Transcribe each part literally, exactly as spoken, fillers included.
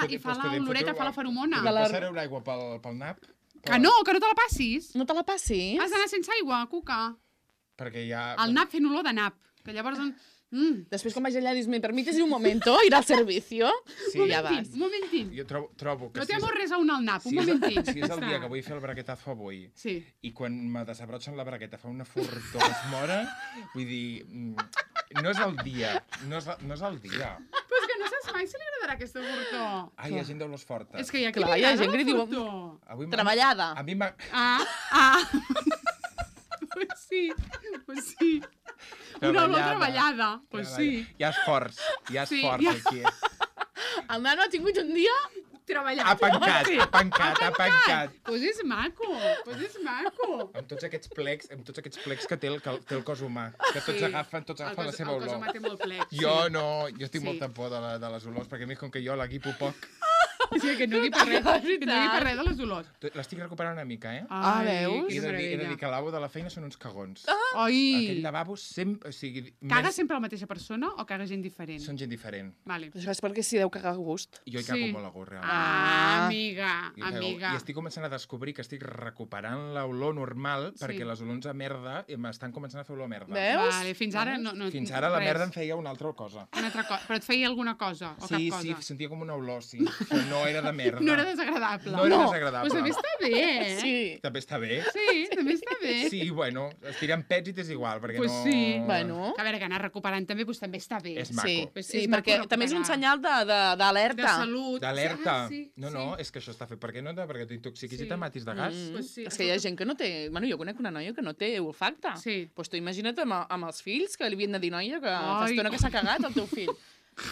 I fa l'oloreta, fa la feromona. Podem passar una aigua pel nap? Que no, que no te la passis. No te la passis? Has d'anar sense aigua, Cuca. Perquè ja... El nap fent olor de nap. Que llavors... Mm. Després, quan vaig allà, dius, me permites un momento ir al servicio? Sí. I ja vas. Un momentín. Jo trobo, trobo que... No si té és- res a un al nap, un si és- momentín. Si és el dia que vull fer el braguetazo avui, Sí. i quan me desabrotxen la bragueta fa una fortor que es mora, vull dir, mm, no és el dia, no és, no és el dia. Però és que no saps mai si li agradarà aquesta fortor. Ah, hi ha gent d'olors fortes. És que hi ha qui Clar, li hi ha agrada gent que la li diu- fortor. Avui m'ha- Treballada. A mi m'ha... Ah, ah. Pues sí, pues sí. Una olor treballada, pues sí. Hi ha esforç, hi ha Sí, esforç hi ha- aquí. El nano ha tingut un dia... Treballat. Ha pencat, Sí. ha pencat, ha pencat. Pues és maco, pues és maco. Amb tots aquests plecs, amb tots aquests plecs que té el, que té el cos humà, que tots Sí. agafen, tots El agafen la cos- seva el cos olor. humà té molt plec, Jo sí. no, jo estic Sí. molta por de, la, de les olors, perquè a mi com que jo la guipo poc, Sí, que no digui per res, que no digui per res de les olors. l'estic recuperant una mica, eh? Ah, Ai, veus? He quina de, dir, he de dir meravella. que el lavabo de la feina són uns cagons. Ai, Aquell lavabo sempre... O sigui, caga més- sempre la mateixa persona o caga gent diferent? Són gent diferent. Vale. Això és perquè s'hi deu cagar a gust. Jo hi cago Sí. molt a gust, realment. Ah, amiga, I cago- amiga. I estic començant a descobrir que estic recuperant l'olor normal Sí. perquè les olors a merda m'estan començant a fer olor a merda. Veus? Vale, fins ara no... no Fins ara la res. merda em feia una altra cosa. Una altra cosa. Però et feia alguna cosa o Sí, cap sí, cosa? sentia com una olor, sí. Però no era de merda. No era desagradable. No era No. desagradable. Pues també està bé, eh? Sí. També està bé. Sí, també està bé. Sí, bueno, es tiren pets i t'és igual, perquè Pues no... sí. Bueno. A veure, que anar recuperant també, doncs també està bé. És maco. Sí, Pues sí, és maco perquè també és un recuperar. senyal de- de- d'alerta. De salut. D'alerta. Ah, sí, no, sí. no, és que això està fet. Per què no? Perquè t'intoxiquis Sí. i te matis de gas. Mm. Pues sí, És que hi ha gent que no té... Bueno, jo conec una noia que no té olfacte. Sí. Pues tu imagina't amb, amb els fills que li havien de dir, noia, que fa Ai. estona que s'ha cagat el teu fill.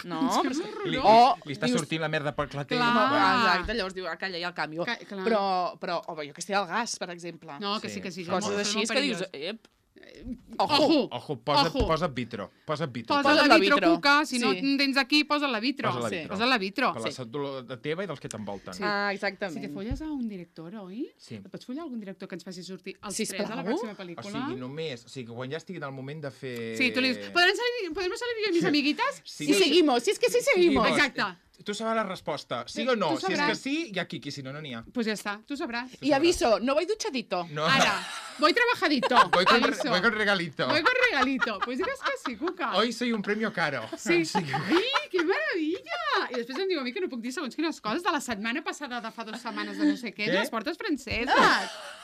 No, però és que... Li, O li està dius- sortint la merda pel clatell. Clar. No, Ah. exacte, llavors diu, ah, calla, ja el canvio. Ca- clar. Però, però, o bé, jo que sé, el gas, per exemple. No, que Sí. sí, que sí. Coses molt- així molt és que dius, perillós. ep, ojo. Ojo. Ojo, posa, Ojo. posa vitro. Posa vitro. Posa Posa't la la vitro, vitro. Cuca. Si no Sí. en tens aquí, posa la vitro. Posa la Sí. vitro. Posa la vitro. Per la Sí. salut de teva i dels que t'envolten. Sí. Ah, Si exactament. te folles a un director, oi? Sí. Et pots follar a algun director que ens faci sortir els Sisplau. tres a la pròxima O pel·lícula? sigui, només... O sigui, quan ja estigui en el moment de fer... Sí, tu li dius, ¿podrem salir, ¿podemos salir yo y mis amiguitas? Sí, I seguimos, si és que sí seguimos. Exacte. Tu sabràs la resposta. Sí Sí, o no? tu Si és sabràs. que sí, hi ha quiqui. Si no, no n'hi ha. Pues ya está, tú sabrás. I aviso, no voy duchadito. No. Ahora, voy trabajadito. Voy con, aviso. voy con regalito. Voy con regalito. Pues digas que sí, Cuca. Hoy soy un premio caro. Sí. Ai, que meravella! I després em diu a mi que no puc dir segons quines coses de la setmana passada de fa dues setmanes de no sé què, Què? de les portes franceses.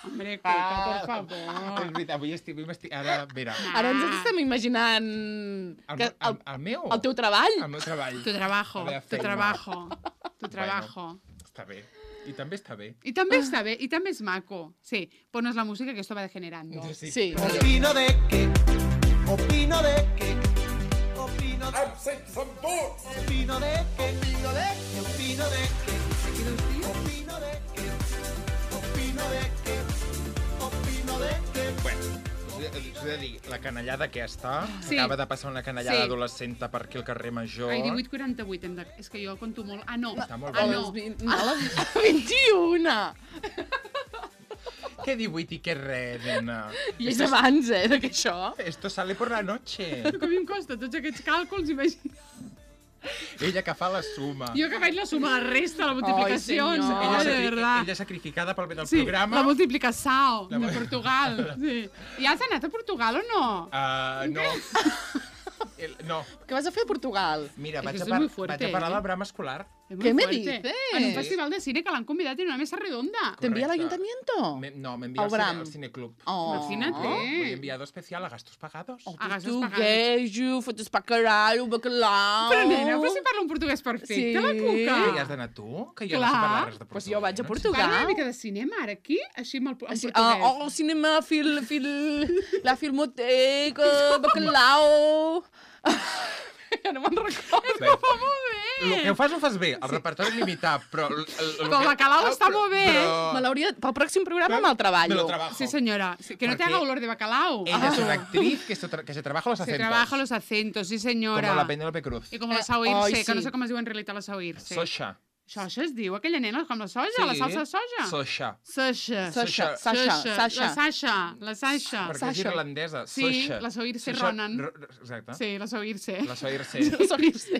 Hombre, Cuca, por És favor. veritat, avui estic... Avui m'estic... Ara, mira, Ara ens estem imaginant el, que el, el, el meu... el teu treball. El meu treball. Tu trabajo, La meva tu feina. trabajo, tu trabajo. Bueno, està bé. I també està bé. I també està bé, i també és maco. Sí, ponos la música que esto va degenerando. Sí. Sí. Opino de que, opino de que, opino de que, Absent som tots! opino de que, opino de que, opino de que, opino de que, opino de que, opino de que. Bueno, us he, us he de dir, la canallada aquesta, Sí. acaba de passar una canallada Sí. adolescenta per aquí al carrer Major. Ai, divuit quaranta-vuit, hem de... és que jo conto molt. Ah, no. Està molt Ah, bé. no. A les vint- no, a les vint i una. Què divuit i què res, nena? I és abans, eh, de que això. Esto sale por la noche. Que a mi em costa tots aquests càlculs, imagina. Ella que fa la suma. Jo que faig la suma, la resta, la multiplicació. Ai, senyor. Ella, Ai, de sacri... verdad. ella sacrificada pel bé del Sí, programa. la multiplicació La- de Portugal. Sí. I has anat a Portugal o no? Uh, no. El, no. Què vas a fer a Portugal? Mira, Es que vaig a, esto es par muy fuerte, vaig a parlar eh? del Brama escolar. Es ¿Qué muy me fuerte. dices? En un festival de cine que l'han convidat en una mesa redonda. ¿Te envía al Correcte. ayuntamiento? Me, no, me envía Al al, cine, Bram. al Cineclub. Oh. Imagínate. Voy enviado especial a gastos pagados. A gastos Tu pagats. queijo, fotos pa caralho, bacalao. Però, nena, però si parla un portuguès perfecte, Sí. la Cuca. Que hi has d'anar tu? Que jo Clar. no sé parlar res de Pues portuguès. jo vaig a no? Portugal. Parla una mica de cinema, ara, aquí, així amb el, en Així, portuguès. ah, oh, cinema, fil, fil, la filmoteca, bacalao... Ja no me'n recordo. Bé, el que ho fas ho fas bé, el repertori limitat, però... El, el, el Però el bacalao està molt bé. Però... Me l'hauria... Pel pròxim programa me'l Me treballo. lo trabajo. Sí, señora. Sí, que no te Porque haga olor de bacalao. Ella es Ah. una actriz que se, tra que se trabaja los Se acentos. trabaja los acentos, sí, señora. Como la Penélope Cruz. I com la Eh, Sao Irse, ai, que no sí. sé com es diu en realitat la Sao Irse. Sosha. Soja es diu, aquella nena, com la soja, Sí. la salsa de soja. Soja. Sasha. Sasha, Sasha. Sasha, La Sasha. Sasha. La Sasha. Perquè és Sasha. irlandesa. Sí, Soja. la Saoirse Sasha Ronan. R- Exacte. Sí, la Saoirse. La Saoirse.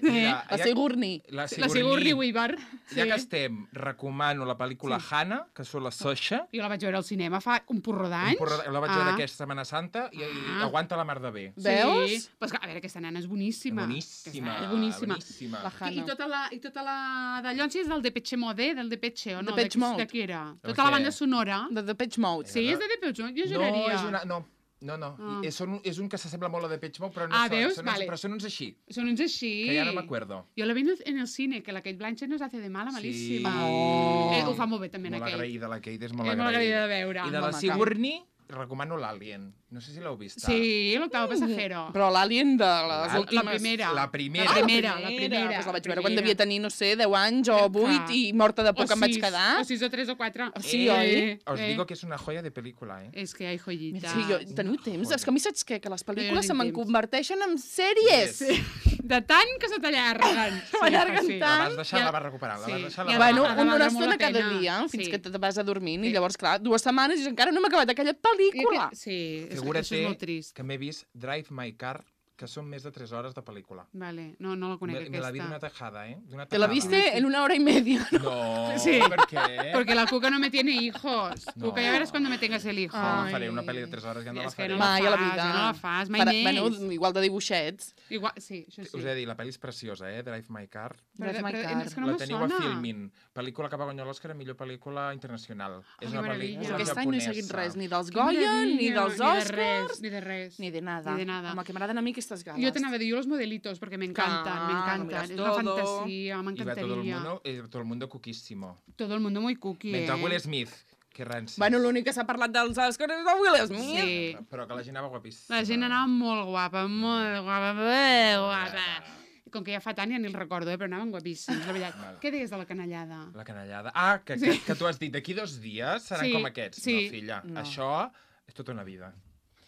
La ja- Sigourney. La La Sigourney. Sigourney Weaver. Ja Sí. que estem, recomano la pel·lícula Hannah, que surt la Soja. Jo la vaig veure al cinema fa un porró d'anys. La vaig veure aquesta Setmana Santa i, i Ah. aguanta la mar de bé. Veus? Sí. Pues, a veure, aquesta nena és boníssima. Boníssima. Aquesta nena És boníssima. boníssima. La I, Hannah. i tota la, i tota la d'allò és del Depeche Mode, del Depeche, o no? Depeche De- Mode. De què era? De Tota la què? banda sonora. De The Pitch Mode. Sí, és de Depeche Mode, jo No, juraria. és una... No. No, no, Ah. és, un, és un que s'assembla molt a Depeche Mode, però no Ah, són, veus? són, Vale. però són uns així, Són uns així. que ja no m'acuerdo. Jo la vi en el, en el cine, que la Kate Blanchett nos hace de mala, malíssima. Sí. Eh, ho fa molt bé també, Molt la Kate. agraïda, la Kate és molt És molt agraïda. agraïda de veure. I de la Home, Sigourney, recomano l'Alien. No sé si l'heu vist. Sí, l'octavo passajero. Però l'Alien de les La- últimes... la primera. La primera. La primera, la primera. Pues la vaig veure la quan primera. devia tenir, no sé, deu anys o vuit i morta de por O que em vaig sis, quedar. O sis o tres o quatre. Sí, oi? Os digo que és una joia de pel·lícula, eh? És que hi ha joyitas. Sí, jo, teniu temps? joia. És que a mi saps què? Que les Jo pel·lícules no se tinc me'n temps. converteixen en sèries. Sí. De tant que se t'allarguen. Sí, M'allarguen sí. La tant. vas deixar, Ja- la vas recuperar. La sí. vas deixar, Ja la va- vas Bueno, ha de una valdre molt estona la cada pena. dia, fins Sí. que te vas a dormir, i Sí. llavors, clar, dues setmanes i encara no m'he acabat aquella pel·lícula. Sí, és, Figura't això és molt trist. que m'he vist Drive My Car, que són més de tres hores de pel·lícula. Vale, no, no la conec, Me, me la vi d'una aquesta. tajada, eh? D'una Te la tajada. viste en una hora y media. No, Sí. per què? Porque la Cuca no me tiene hijos. No. Cuca, ya verás cuando me tengas el hijo. No la Ai. faré, una pel·li de tres hores ja no I la és que faré. no la Mai a la fas, vida. ja no la fas, mai Farà- més. Bueno, igual de dibuixets. Igual, sí, això sí. Us he de dir, la pel·li és preciosa, eh? Drive My Car. Però, Drive My però, Car. és que no la me teniu sona. a Filmin. Pel·lícula que va guanyar l'Òscar a millor pel·lícula internacional. que és una meravella. pel·lícula Aquest any no he seguit japonesa. res, ni dels Que Goya, ni meravella, dels Ni de Oscars, res, ni de res. ni de nada. Ni de nada. Home, que m'agraden a mi aquestes gales. Yo te anava a dir, yo los modelitos, porque me encantan, Claro, me lo encantan. miras Es una todo. fantasía, me I va tot el encantaría. mundo, eh, tot el mundo cuquíssimo. Todo el mundo muy cookie, Mentre eh? Will Smith, que ranci. Bueno, l'únic que s'ha parlat dels Oscars és el Will Smith. Sí. Però que la gent anava guapíssima. La gent anava molt guapa, molt guapa, molt guapa. Com que ja fa tant ja ni el recordo, eh? Però anaven guapíssims, la veritat. Vale. Què deies de la canallada? La canallada. Ah, que, que, que tu has dit, d'aquí dos dies seran Sí, com aquests. sí. No, filla, No. això és tota una vida.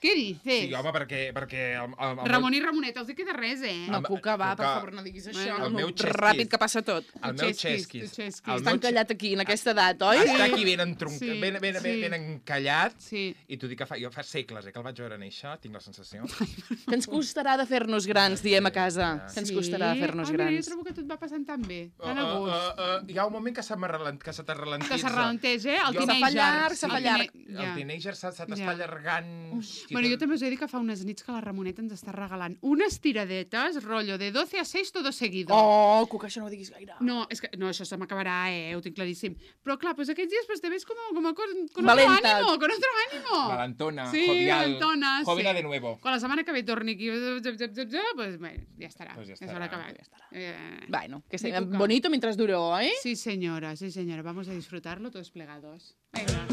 Què dices? Sí, home, perquè... perquè el, el, el Ramon i Ramonet, els dic de res, eh? No, Amb- Cuca, va, per Cuca, favor, no diguis això. el no, meu xesquis. ràpid que passa tot. el meu xesquis, xesquis. tu xesquis. el Està meu encallat aquí, en aquesta edat, oi? Està aquí ben, entronc... Sí, ben, ben, ben, sí. ben encallat. Sí. I t'ho dic que fa, jo fa segles eh, que el vaig veure néixer, tinc la sensació. Que ens costarà de fer-nos grans, diem a casa. Que ens Sí? costarà de fer-nos Ah, mira, grans. jo trobo que tot va passant tan bé, Uh, tan a uh, gust. uh, uh, hi ha un moment que se, m'arrelent- que se t'arralentitza. Que s'arrelenteix, eh? El Jo- Se fa teenager. llarg, se El fa tine- llarg. Ja. El teenager se, se t'està Ja. allargant... Hosti, Bueno, jo també us he dit que fa unes nits que la Ramonet ens està regalant unes tiradetes, rotllo de doce a seis todo seguido. Oh, Cuca, això no ho diguis gaire. No, és que, no, això se m'acabarà, eh? Ho tinc claríssim. Però clar, pues aquests dies pues, te ves como, como con, con otro Valenta. ánimo, con otro ánimo. Valentona, Sí, jovial, valentona, jovina sí. de nuevo. Quan la setmana que ve torni aquí, zap, zap, zap, zap, pues bueno, ja estarà. Pues ja ja estarà, s'haurà acabat. ja estarà. Eh, Bueno, que Di sea Cuca. bonito mientras dure, oi? Sí, señora, sí, señora. Vamos a disfrutarlo todos plegados. Venga.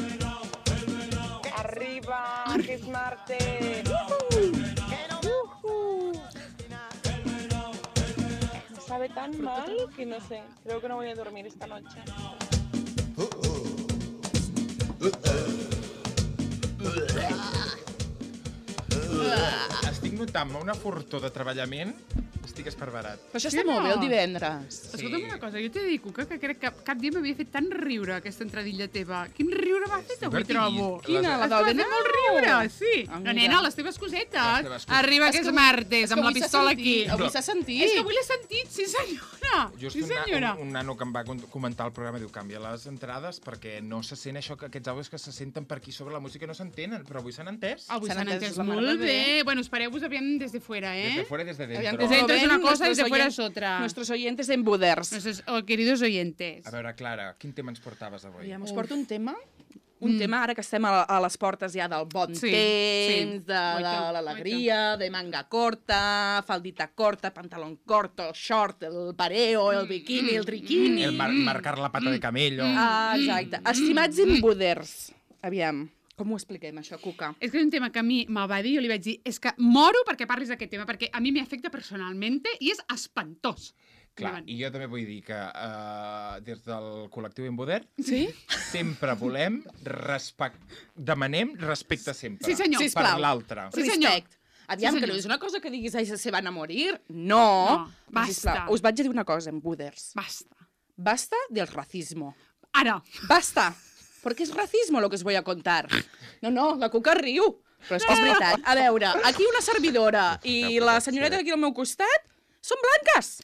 Arriba, que es martes. Me sabe tan mal que no sé. Creo que no voy a dormir esta noche. Estic notant una fortor de treballament, estic esparverat. Però això Sí, està molt bé el no? divendres. Escolta'm una cosa, jo t'he de dir, Cuca, que crec que cap dia m'havia fet tant riure aquesta entradilla teva. Quin riure m'ha fet avui, Divertit. trobo. Quina, la Has del fet Benau? molt riure, sí. Ah, No, mira. nena, les teves cosetes. Les teves cosetes. Arriba És que és que avui- martes, és que amb la avui s'ha pistola sentit, aquí. Avui s'ha sentit. És que avui l'he sentit, sí senyora. Just sí una, senyora. un, un nano que em va con- comentar el programa diu canvia les entrades perquè no se sent això, que aquests àudios que se senten per aquí sobre la música no s'entenen, però avui s'han entès. Avui S'han s'han entès entès la mar molt de bé. bé. Bueno, espereu-vos aviam des de fuera, eh? Desde fuera y desde Aviam dentro. que Desde dentro es una ven cosa y nuestros de fuera oyen- es otra. Nuestros oyentes en Buders. Nuestros oh, queridos oyentes. A veure, Clara, quin tema ens portaves avui? Aviam, us porto un tema un mm. tema ara que estem a, a les portes ja del bon Sí, temps, sí. de, de Oito, l'alegria, de manga corta, faldita corta, pantalón corto, short, el pareo, el biquini, el triquini. El mar marcar la pata de camello. Ah, exacte. Estimats imbuders. Aviam, com ho expliquem, això, Cuca? És que és un tema que a mi me'l va dir, jo li vaig dir, és que moro perquè parlis d'aquest tema, perquè a mi m'afecta personalment i és espantós. Clar, i jo també vull dir que uh, des del col·lectiu Emboder Sí? sempre volem, respect... demanem respecte sempre. Sí, senyor. Per Sisplau. l'altre. Sí, senyor. Respect. Aviam, Sí, que no senyor. és una cosa que diguis, ai, se van a morir. No. No, basta. Sisplau, us vaig a dir una cosa, Embuders. Basta. basta del racismo. Ara. Basta, porque es racismo lo que os voy a contar. No, no, la Cuca riu, però és que és veritat. A veure, aquí una servidora i la senyoreta d'aquí al meu costat són blanques.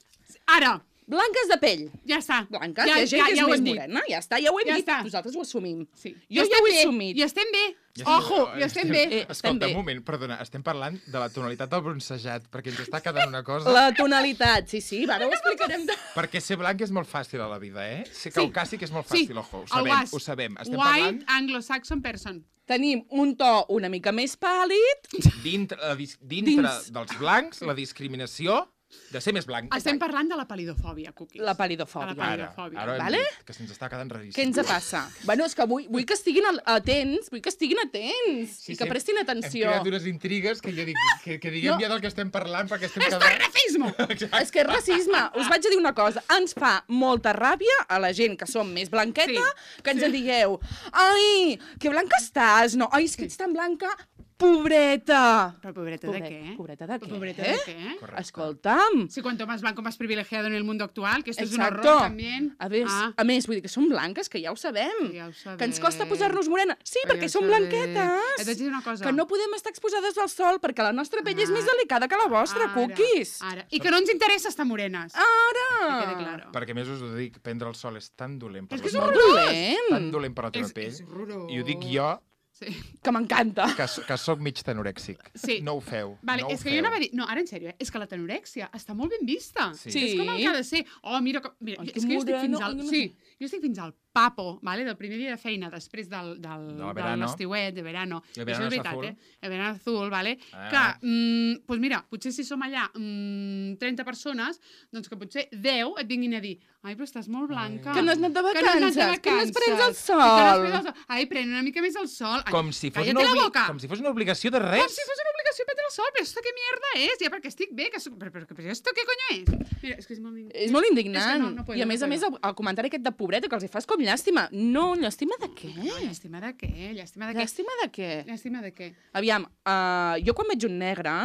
Ara. Blanques de pell. Ja està. Blanques, ja, hi ha gent ja, que és ja més dit. morena, ja està, ja ho hem Ja dit. està. Nosaltres ho assumim. Sí. Jo I ja ho he estem bé, assumit. I estem bé. Ja Ojo, estem- i estem bé. Eh, estem Escolta, bé. un moment, perdona, estem parlant de la tonalitat del bronzejat, perquè ens està quedant una cosa... La tonalitat, sí, sí, ara ho explicarem. De... Perquè ser blanc és molt fàcil a la vida, eh? Ser Sí. caucàsic és molt Sí, fàcil, ojo, ho el sabem, was. ho sabem. Estem White parlant Anglo-Saxon person. Tenim un to una mica més pàl·lid. dintre, la dis- dintre Dins. dels blancs, la discriminació de ser més blanc. Estem parlant de la palidofòbia, Cookies. La palidofòbia. De la Ara, palidofòbia. ara ho hem Vale? dit, que se'ns està quedant raríssim. Què ens passa? Bueno, és que vull, vull que estiguin al- atents, vull que estiguin atents Sí, i que sí, prestin Hem atenció. creat unes intrigues que jo dic, que, que diguem No. ja del que estem parlant, perquè estem Esto quedant... es racismo! És que és racisme. Us vaig a dir una cosa. Ens fa molta ràbia a la gent que som més blanqueta Sí. que ens en digueu ai, que blanca estàs. No, ai, és que ets tan blanca. Pobreta. Però pobreta Pobre- de què? pobreta de què? Pobreta de què? Correcte. Escolta'm. Si cuanto más blanco, más privilegiado en el mundo actual, que esto es un Exacto. horror también. A més, Ah. a més, vull dir que som blanques, que ja ho sabem. Ja ho sabem. Que ens costa posar-nos morena. Sí, Ja perquè ho som sabem. blanquetes. Et vaig dir una cosa. Que no podem estar exposades al sol perquè la nostra pell és Ah. més delicada que la vostra, Ara, cookies. Ara. I que no ens interessa estar morenes. Ara! Que quede claro. Perquè a més us ho dic, prendre el sol és tan dolent per És que la és salut, Molt tan dolent. dolent per la teva És- pell. és horrorós. I ho dic jo, Sí. Que m'encanta. que, so- que soc mig tenorèxic. Sí. No ho feu. Vale, no ho és que feu. jo anava a dir... No, ara en sèrio, eh? És que la tenorèxia està molt ben vista. Sí. Sí. És com el que ha de ser. Oh, mira, com... mira Ai, és que que jo estic fins moreno, al... ai, no Sí, jo estic fins al papo, vale? Del primer dia de feina, després del, del, De la de verano. l'estiuet, de verano. I el I això verano és és veritat, azul. eh? El verano azul, vale? Ah. Que, mm, doncs mira, potser si som allà mm, trenta persones, doncs que potser deu et vinguin a dir ai, però estàs molt blanca. Que no has anat de Que no has anat de vacances, que no has pres el vacances, sol. que no has pres el sol. Ai, pren una mica més el sol. Ai, Com si, fos cállate una la obli- boca. com si fos una obligació de res. Com si fos una obligació prendre el sol, però esto què mierda és? Ja perquè estic bé, que soc... però, però, però esto què coño és? Mira, és que és molt... És molt indignant. És que no, no puedo, I a no més a puedo. més, el, el comentari aquest de pobreta que els hi fas com llàstima. No, llàstima de què? No, llàstima de què? Llàstima de què? Llàstima de què? Llàstima de què? Aviam, uh, jo quan veig un negre,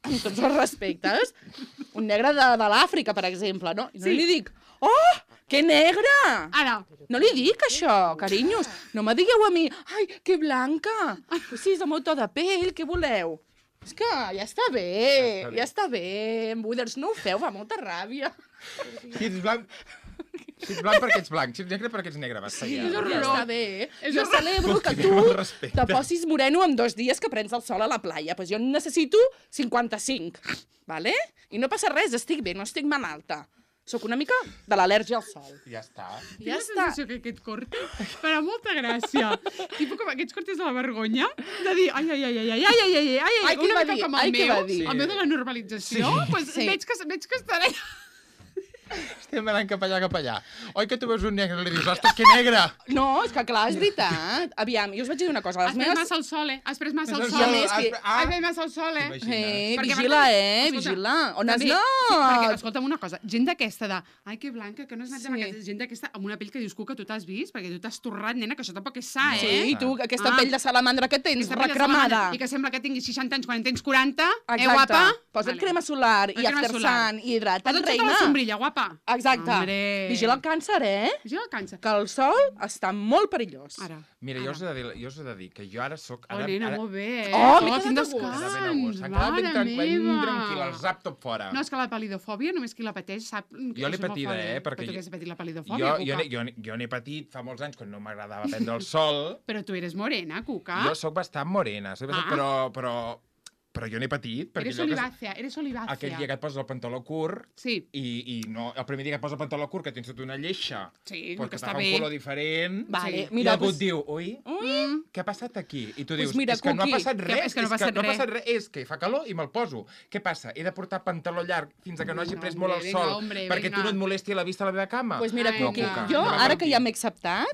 amb tots els respectes, un negre de, de l'Àfrica, per exemple, no? I no Sí. li dic, oh, que negre! Ara, No li dic això, carinyos. No me digueu a mi, ai, que blanca. Pues sí, és el meu to de pell, què voleu? És que ja està bé, Ja està bé. ja està bé. Buiders, no ho feu, fa molta ràbia. Si ets blanc... Si ets blanc perquè ets blanc, si ets negre perquè ets negre, basta ja. és Ja horrorós. està bé. És Jo horrorós. celebro que Falteu el tu respecte. te posis moreno en dos dies que prens el sol a la playa. Pues jo en necessito cinquanta-cinc, vale? I no passa res, estic bé, no estic malalta. Sóc una mica de l'al·lèrgia al sol. Ja està. tinc Ja la està. sensació que aquest corte farà molta gràcia. Tipo com aquests cortes de la vergonya, de dir ai, ai, ai, ai, ai, ai, ai, ai, ai, ai, Ai, què una va mica dir? com Ai, el què meu, va dir? el meu de la normalització, pues Sí. veig, que, veig que estaré... Estem anant cap allà, cap allà. Oi que tu veus un negre i li dius, ostres, que negre! No, és que clar, és veritat. Aviam, jo us vaig dir una cosa. Les Has pres meves... massa el sol, eh? Has pres massa el Has sol. I a més que- Ah, Has pres massa el sol, eh? T'imagines? Eh, Perquè vigila, per tant- eh, escolta, vigila. On has també- anat? Sí, perquè, escolta'm una cosa, gent d'aquesta de ai, que blanca, que no has anat Sí. de vacances, gent d'aquesta amb una pell que dius que tu t'has vist, perquè tu t'has torrat, nena, que això tampoc és sa, Sí, eh? i tu, aquesta Ah. pell de salamandra que tens, Aquesta pell de recremada. salamandra, I que sembla que tinguis seixanta anys quan en tens quaranta, eh, Exacte. guapa? Posa't Vale. crema solar i Posa't crema after solar. sun i hidrata't, Posa't sota reina. la sombrilla, guapa. Exacte. Hombre. Vigila el càncer, eh? Vigila el càncer. Que el sol està molt perillós. Ara. Mira, ara. jo us, he de dir, jo us he de dir que jo ara sóc... Oh, Ara, nena, ara, molt bé, eh? Oh, m'he quin quedat a gust. Ara ben a descans, gust. S'han quedat ben, mare tranquil, ben meva. tranquil, el zap tot fora. No, és que la palidofòbia només qui la pateix sap... que Jo l'he això és molt patida, fort, eh, perquè Però tu jo- que has patit la Jo, palidofòbia, jo, Cuca. n'he- jo, n'he- jo n'he patit fa molts anys quan no m'agradava prendre el sol. Però tu eres morena, Cuca. Jo sóc bastant morena, soc bastant, Ah. però, però, però jo n'he patit. Perquè Eres allò que- olivácea, eres olivácea. Aquell dia que et poses el pantaló curt Sí, i, i no, el primer dia que et poses el pantaló curt que tens tota una lleixa sí, pues que que està t'aga bé. un color diferent Vale, Sí. i mira, algú pues... et diu, ui, Mm. què ha passat aquí? I tu Pues dius, mira, és que no ha Cuqui, passat que- res, és que no ha no passat ha res. passat res, és que fa calor i me'l poso. Què passa? He de portar pantaló llarg fins a que no hagi Vinga, pres hombre, molt el vinga, sol hombre, perquè vinga. tu no et molesti la vista a la meva cama. Pues mira, Ai, Cuqui, no. jo, No ara que m'ha ja m'he acceptat,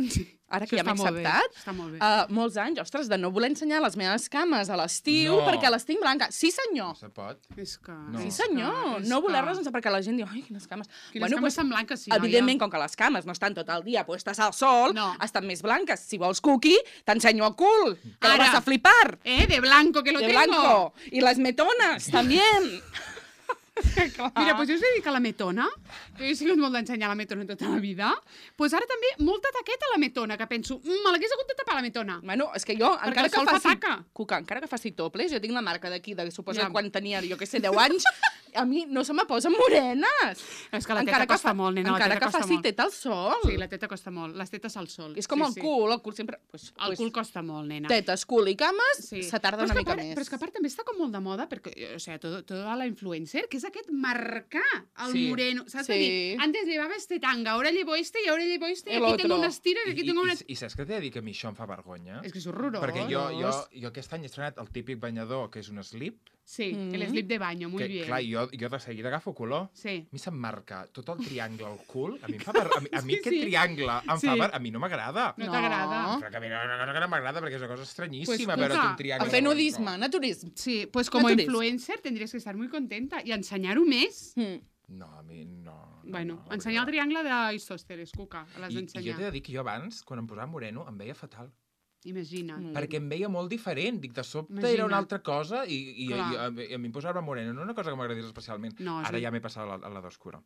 ara que Això ja m'he està molt bé, acceptat, està molt bé. uh, molts anys, ostres, de no voler ensenyar les meves cames a l'estiu No. perquè les tinc blanques. Sí, senyor. No se pot. És que... No. Sí, és senyor. que- No és voler-les que- ensenyar perquè la gent diu, ai, quines cames. Quines cames tan blanques, sí, noia. Evidentment, com que les cames no estan tot el dia puestes al sol, No. estan més blanques. Si vols cookie, t'ensenyo el cul, que Ara. lo vas a flipar. Eh, de blanco que lo De tengo. blanco. Y las metonas, también. Mira, doncs jo us he dit que la metona, que jo he sigut molt d'ensenyar la metona tota la vida, doncs ara també molta taqueta la metona, que penso, mm, me l'hagués hagut de tapar la metona. Bueno, és que jo, Perquè encara el que sol fa faci... taca. Cuca, encara que faci toples, jo tinc la marca d'aquí, de suposo Ja. que quan tenia, jo què sé, deu anys, a mi no se me posen morenes. És que la teta Encara que costa fa- molt, nena, la Encara teta que costa faci molt. teta al sol. Sí, la teta costa molt, les tetes al sol. És com sí, el sí. cul, el cul sempre... Pues, El pues, cul costa molt, nena. Tetes, cul i cames, Sí. se tarda Però és una que mica a part, més. Però és que a part també està com molt de moda, perquè, o sea, todo, toda la influencer, que és aquest marcar el Sí. moreno. Saps? Sí. De dir, antes llevaba este tanga, ahora llevo este y ahora llevo este, y El aquí tengo otro. unas tiras y aquí I, tengo i, unas... i, I saps què t'he de dir? Que a mi això em fa vergonya? És que és horrorós. Perquè jo, jo, jo aquest any he estrenat el típic banyador, que és un slip, Sí, Mm. el slip de baño, muy que, bien. clar, jo, jo de seguida agafo color. Sí. A mi se'm marca tot el triangle al cul. A mi, em fa ver... a mi, a mi Sí, aquest sí. triangle em Sí. fa ver... A mi no m'agrada. No No. t'agrada? Però que a mi no, no, no, no m'agrada perquè és una cosa estranyíssima Pues, veure escolta, un triangle. A fer nudisme, naturisme. Sí, pues como Naturis. influencer tendrías que estar muy contenta y ensenyar-ho més. Mm. No, a mi no. no Bueno, no, ensenyar el no. triangle d'Isòsteres, Cuca, l'has I, I jo d'ensenyar. t'he de dir que jo abans, quan em posava moreno, em veia fatal. Imagina't. Mm. Perquè em veia molt diferent. Dic, de sobte Imagina't. era una altra cosa i, i, i, Clar. i, a, mi- a mi em posava moreno. No una cosa que m'agradés especialment. No, Ara sí. ja m'he passat a la, a la d'oscura.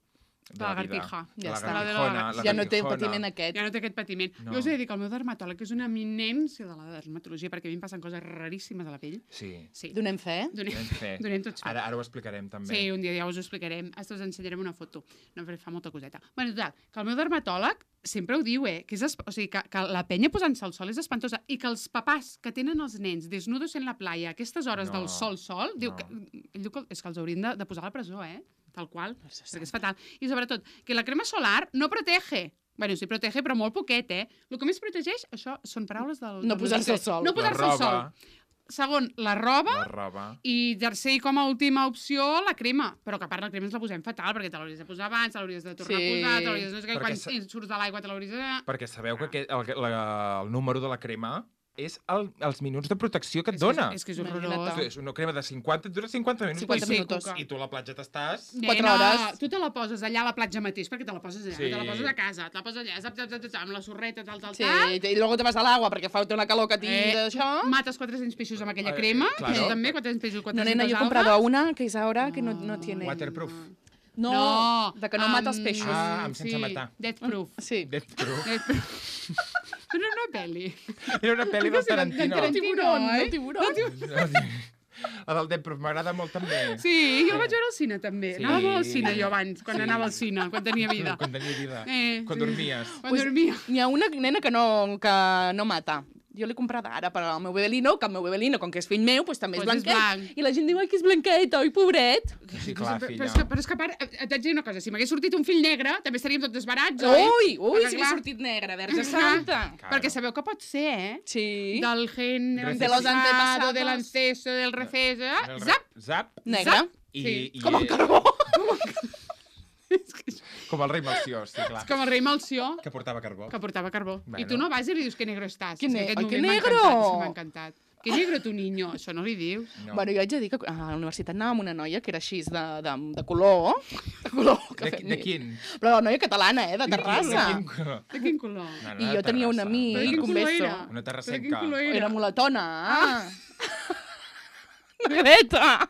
La lagartija. Ja la està. La de la lagartijona, lagartija. la Ja no té lagartijona. patiment aquest. Ja no té aquest patiment. No. Jo us he de dir que el meu dermatòleg és una eminència de la dermatologia, perquè a mi em passen coses raríssimes a la pell. Sí. Sí. Donem fe. Donem, Donem fe. donem tots fe. Ara, ara ho explicarem, també. Sí, un dia ja us ho explicarem. Hasta us ensenyarem una foto. No, però fa molta coseta. Bueno, total, que el meu dermatòleg sempre ho diu, eh? Que, és esp... o sigui, que, que la penya posant-se al sol és espantosa i que els papàs que tenen els nens desnudos en la playa a aquestes hores No. del sol-sol, diu No. que, ell diu que és que els haurien de, de posar a la presó, eh? Tal qual, perquè és fatal. I sobretot, que la crema solar no protege. Bueno, sí protege, però molt poquet, eh? El que més protegeix, això són paraules del... No del posar-se al Luis. sol. No posar-se al sol. Segon, la roba. La roba. I tercer, i com a última opció, la crema. Però que a part la crema ens la posem fatal, perquè te l'hauries de posar abans, te l'hauries de tornar Sí. a posar, te l'hauries de... No sé què, Perquè quan sa- surts de l'aigua te l'hauries de... Perquè sabeu que aquest, el, la, el número de la crema és el, els minuts de protecció que et És dona. Que, és que és Imagina't. horrorós. És una crema de cinquanta, et dura cinquanta minuts. cinquanta i- minuts. I tu a la platja t'estàs... Quatre Nena, hores. tu te la poses allà a la platja mateix, perquè te la poses allà, Sí. te la poses a casa, te la poses allà, zap, zap, zap, zap, amb la sorreta, tal, tal, Sí, tal. i luego te vas a l'agua perquè fa una calor que Eh, tira d'això. Mates quatre-cents peixos amb aquella Eh, crema, claro. tu també, quatre-cents peixos, No, quatre-cents nena, yo he algues. comprado una que es ahora que no, no tiene... Waterproof. No, No, de que no mata els amb- peixos. Ah, amb sense sí, matar. Death Proof. Sí. Death Proof. Death Proof. Però no una pel·li. Era una pel·li del Tarantino. del tiburón, eh? del tiburón. La del Death Proof m'agrada molt també. Sí, jo la vaig veure al cine també. Sí. Anava molt al cine jo abans, quan Sí. anava al cine, quan tenia vida. Quan tenia vida. Eh, Quan sí. dormies. Quan Pues, dormia. N'hi ha una nena que no, que no mata. Jo l'he comprada ara per al meu bebelino, que el meu bebelino, com que és fill meu, pues, també és Pues és blanquet. blanc. I la gent diu, ai, que és blanquet, oi, pobret. Sí, clar, però, filla. però, és que, però és que a part, et et haig de dir una cosa, si m'hagués sortit un fill negre, també estaríem tots desbarats, oi? Ui, ui, Perquè, si m'ha clar, sortit negre, verge Clar. santa. Claro. Perquè sabeu que pot ser, eh? Sí. Del gen De los antepasado, antepasados. del anceso, del refeso, El eh? re- Zap! Zap. Negre. Zap. I, Sí. i, Com el carbó. És que és Com el rei Melcior, sí, clar. com el rei Malció, Que portava carbó. que portava carbó. Bueno. I tu no vas i li dius que negro estàs. Que És ne- aquest ai, que moment m'ha negro! encantat, sí, m'ha encantat. Que negro tu, niño. Això no li dius. No. Bueno, jo haig de dir que a la universitat anava amb una noia que era així de, de, de color. De color. Que de, fem de nit. quin? Però la noia catalana, eh, de De Terrassa. quin color? De quin color? No, no, I de jo tenia un Terrassa. amic, Però de quin un color beso. era? Una Però de terrassenca. quin color era? Era mulatona. Ah. Negreta.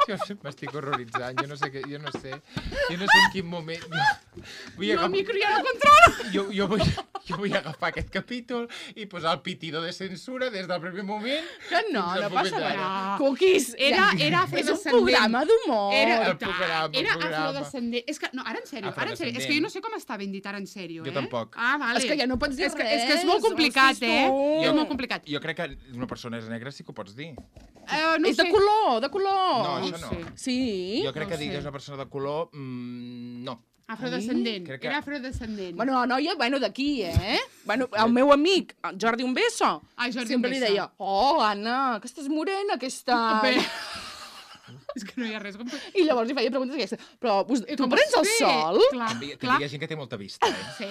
Jo m'estic horroritzant, jo no sé, què, jo no sé, jo no sé en quin moment... Jo, vull Jo el agafar, micro ja no controla. jo, jo, vull, jo vull agafar aquest capítol i posar el pitido de censura des del primer moment. Que no, fins al no moment passa res. d'ara. Cookies. Era, ja. era És un afrodescendent. programa d'humor. Era, El programa, el era programa. afrodescendent. És que, no, ara en sèrio, ara en sèrio. És que jo no sé com està ben dit ara en sèrio, eh? Jo tampoc. Ah, vale. És que ja no pots dir és que, res. És que és molt complicat, Hòsties, eh? tu. És molt complicat. Jo crec que una persona és negra sí que ho pots dir. Eh, no És de sé. color, de color. No, No això no. sé. Sí. Jo crec no que ho digues sé. una persona de color... Mm, no. Afrodescendent. Crec que- Era afrodescendent. Bueno, la noia, bueno, d'aquí, eh? Bueno, el meu amic, el Jordi Un Beso, Ai, Jordi sempre Un li Beso. deia, oh, Anna, que estàs morena, que estàs... Bé. És que no hi ha res com... I llavors li feia preguntes d'aquestes. Però us, I tu com prens el es ve? sol? Clar, També, també clar. hi ha gent que té molta vista, eh? Sí.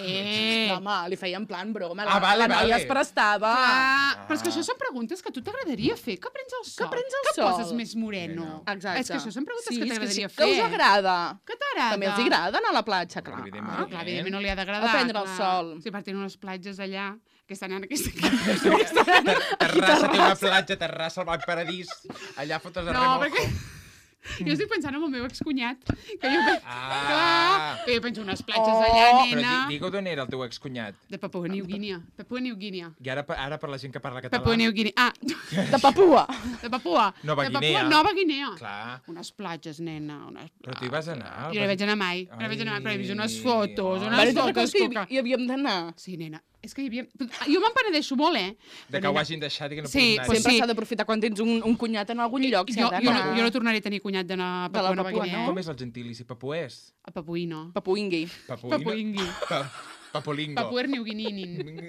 No, home, li feia en plan broma. La, Ah, vale, la noia vale. es prestava. Ah, però és que això són preguntes que a tu t'agradaria fer. Que prens el sol? Que prens el que sol? poses més moreno? Exacte. És que això són preguntes sí, que és t'agradaria sí, fer. Que us agrada. Que t'agrada? També els agrada anar a la platja, clar. Evidentment. Ah, clar, evidentment no li ha d'agradar. A prendre el clar. sol. Sí, per tenir unes platges allà, que estan en aquesta... Terrassa té una platja, Terrassa, el Baix Paradís, allà fotos de No, remojo. perquè... Jo estic pensant en el meu excunyat. Que jo, pe... Ah. Clar, que jo penso unes platges Oh. allà, Però nena. di- digue d'on era el teu excunyat. De Papua New Guinea. Papua New Guinea. I ara, ara per la gent que parla català... Papua New Guinea. Ah, De Papua. de Papua. Nova de Papua, Guinea. Nova Guinea. Clar. Unes platges, nena. Unes... Però tu hi vas anar? Jo no hi vaig anar mai. No hi vaig anar mai, però he vist unes fotos, Ai. unes Vale, te'n fotos. recordes que Cuca. hi, hi havíem d'anar? Sí, nena. És que hi havia... Jo me'n penedeixo molt, eh? De que ho hagin deixat i que no Sí, puguis anar. pues Sempre sí. s'ha d'aprofitar quan tens un, un cunyat en algun lloc. Jo, s'ha jo, no, d'anar. jo no tornaré a tenir cunyat d'anar a De la Papua Nova Papua, Guinea. no? Com és el gentilici? Papuès? A Papuïno. Papuingui. Papuïno? Papuingui. Pa Papulingo. Papuer New Guinea.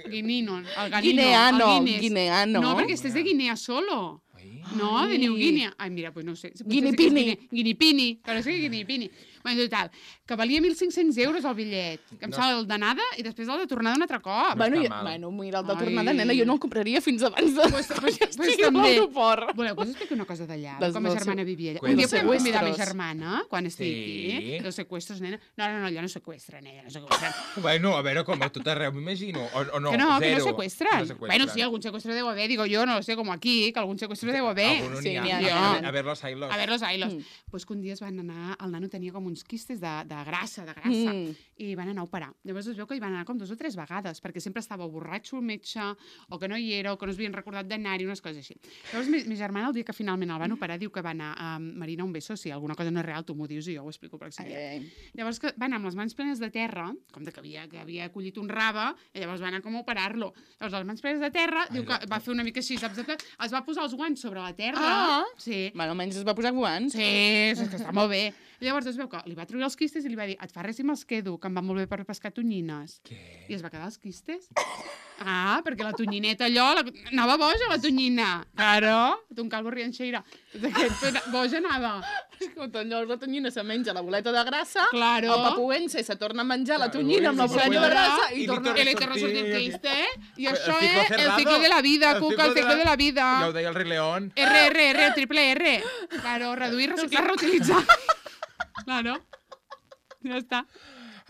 Guinino. El Ganino. Guineano, el Guinness. guineano. No, perquè este és de Guinea solo. Ai. No, de New Guinea. Ai, mira, pues no sé. Potser Guinipini. sí que és Guine- Guinipini. Però sí que Guinipini. Bueno, total, que valia mil cinc-cents euros el bitllet. Que em No. sembla el d'anada i després el de tornada un altre cop. Bueno, està i, mal. bueno, mira, el de Ai. tornada, nena, jo no el compraria fins abans de... Pues, pues, que pues estigui a també. l'aeroport. Voleu que us expliqui una cosa d'allà? Dels- Com ma dels germana se- vivia allà. Cuenta. Un dia Dels podem convidar ma secuestros. germana, quan estigui Sí. aquí. Los secuestros, nena. No, no, no, allà no secuestren, ella no secuestren. Bueno, a veure, com a tot arreu, m'imagino. O, o no, que no, que no zero. secuestran. No secuestran. Bueno, sí, algún secuestro debo haber, digo yo, no lo sé, como aquí, que algún secuestro debo haber. Alguno Sí, n'hi ha. n'hi ha, n'hi ha. A ver los ailos. A ver los ailos. Mm. Pues que un dia es van anar, el nano tenia com uns quistes de, de grassa, de grassa, Mm. i van anar a operar. Llavors es veu que hi van anar com dos o tres vegades, perquè sempre estava borratxo el metge, o que no hi era, o que no es havien recordat d'anar-hi, unes coses així. Llavors, mi, mi germana, el dia que finalment el van operar, diu que va anar a Marina, un beso, si alguna cosa no és real, tu m'ho dius i jo ho explico per accident. Ai, Llavors que va anar amb les mans plenes de terra, com de que havia, que havia collit un rave, i llavors va anar com a operar-lo. Llavors, les mans plenes de terra, diu que va fer una mica així, saps? Es va posar els guants sobre la terra. Ah. Sí. Bueno, almenys es va posar guants. Sí, és que està molt bé. I llavors es veu que li va treure els quistes i li va dir, et fa res si me'ls quedo, que em va molt bé per pescar tonyines. Què? I es va quedar els quistes. Ah, perquè la tonyineta allò, la... anava boja la tonyina. Claro, ton calvo rianxeira. Aquest boja anava. Escolta, llavors la tonyina se menja la boleta de grassa, Claro. el papuense se torna a menjar la Claro, tonyina amb la i se boleta de queda- grassa i i li torna... torna- Que le torna a sortir el sortir- quiste, eh? I El això ciclo és el cerrado. ciclo de la vida, El Cuca, el ciclo de ciclo la- de la vida. Ja ho deia el rei León. R, R, R, el triple R. Claro, reduir, reciclar, reutilitzar. Claro. Ja està.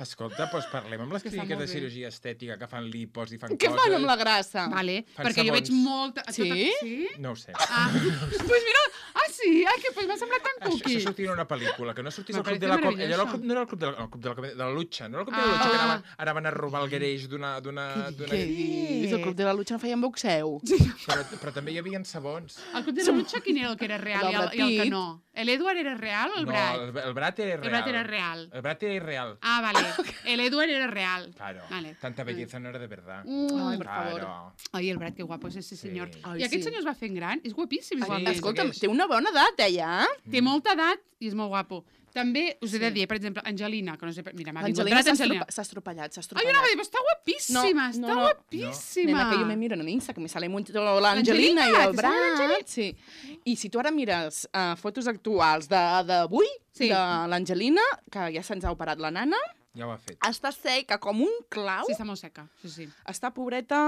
Escolta, doncs parlem amb les Que està clíniques molt de bé. cirurgia estètica que fan lipos i fan Què coses. fan amb la grassa? Vale, Fan perquè jo veig sabons. molta... Sí? Tota... Sí? No ho sé. Ah, pues mira, ah sí, ah, que pues m'ha semblat tan Això, cuqui. això sortia en una pel·lícula, que no sortís Me al club parece de la com... maravilloso. Allò era el club, no era el club de la, el club de la, comèdia- de la lucha, no era el club de la Ah. lucha, que anaven, anaven a robar el gareix d'una... d'una... d'una- Què dius? El club de la lucha no feien boxeu? Però, però també hi havia sabons. El club de la lucha, quin era el que era real i el, El i el que Brad no? L'Edward era real o el Brad? No, el, el Brat era real. El Brad era real. El Brat era irreal. Ah, vale. El Edward era real. Claro, Vale. tanta belleza no era de verdad. Mm. Ai, per favor. Claro. Ai, el Brad, que guapo és ese senyor. Sí. Ai, I aquest sí. senyor es va fent gran, és guapíssim. És Sí, guapíssim. Escolta'm, segueix. té una bona edat, eh, ja? Té molta edat i és molt guapo. També us he de dir, per exemple, Angelina, que no sé... Mira, m'ha vingut L'Angelina Brad s'ha Angelina. estropa- s'ha estropellat, s'ha Ai, estropellat. jo anava a dir, però està guapíssima, No, està no, no. guapíssima. Nena, que yo me miro en Insta, que me sale mucho l'Angelina i L'Angelina, el te sale Brad. l'Angelina? Sí. I si tu ara mires uh, fotos actuals de- d'avui, Sí. de l'Angelina, que ja se'ns ha operat la nana, Ja ho ha fet. està seca com un clau. Sí, està molt seca, sí, sí. Està pobreta,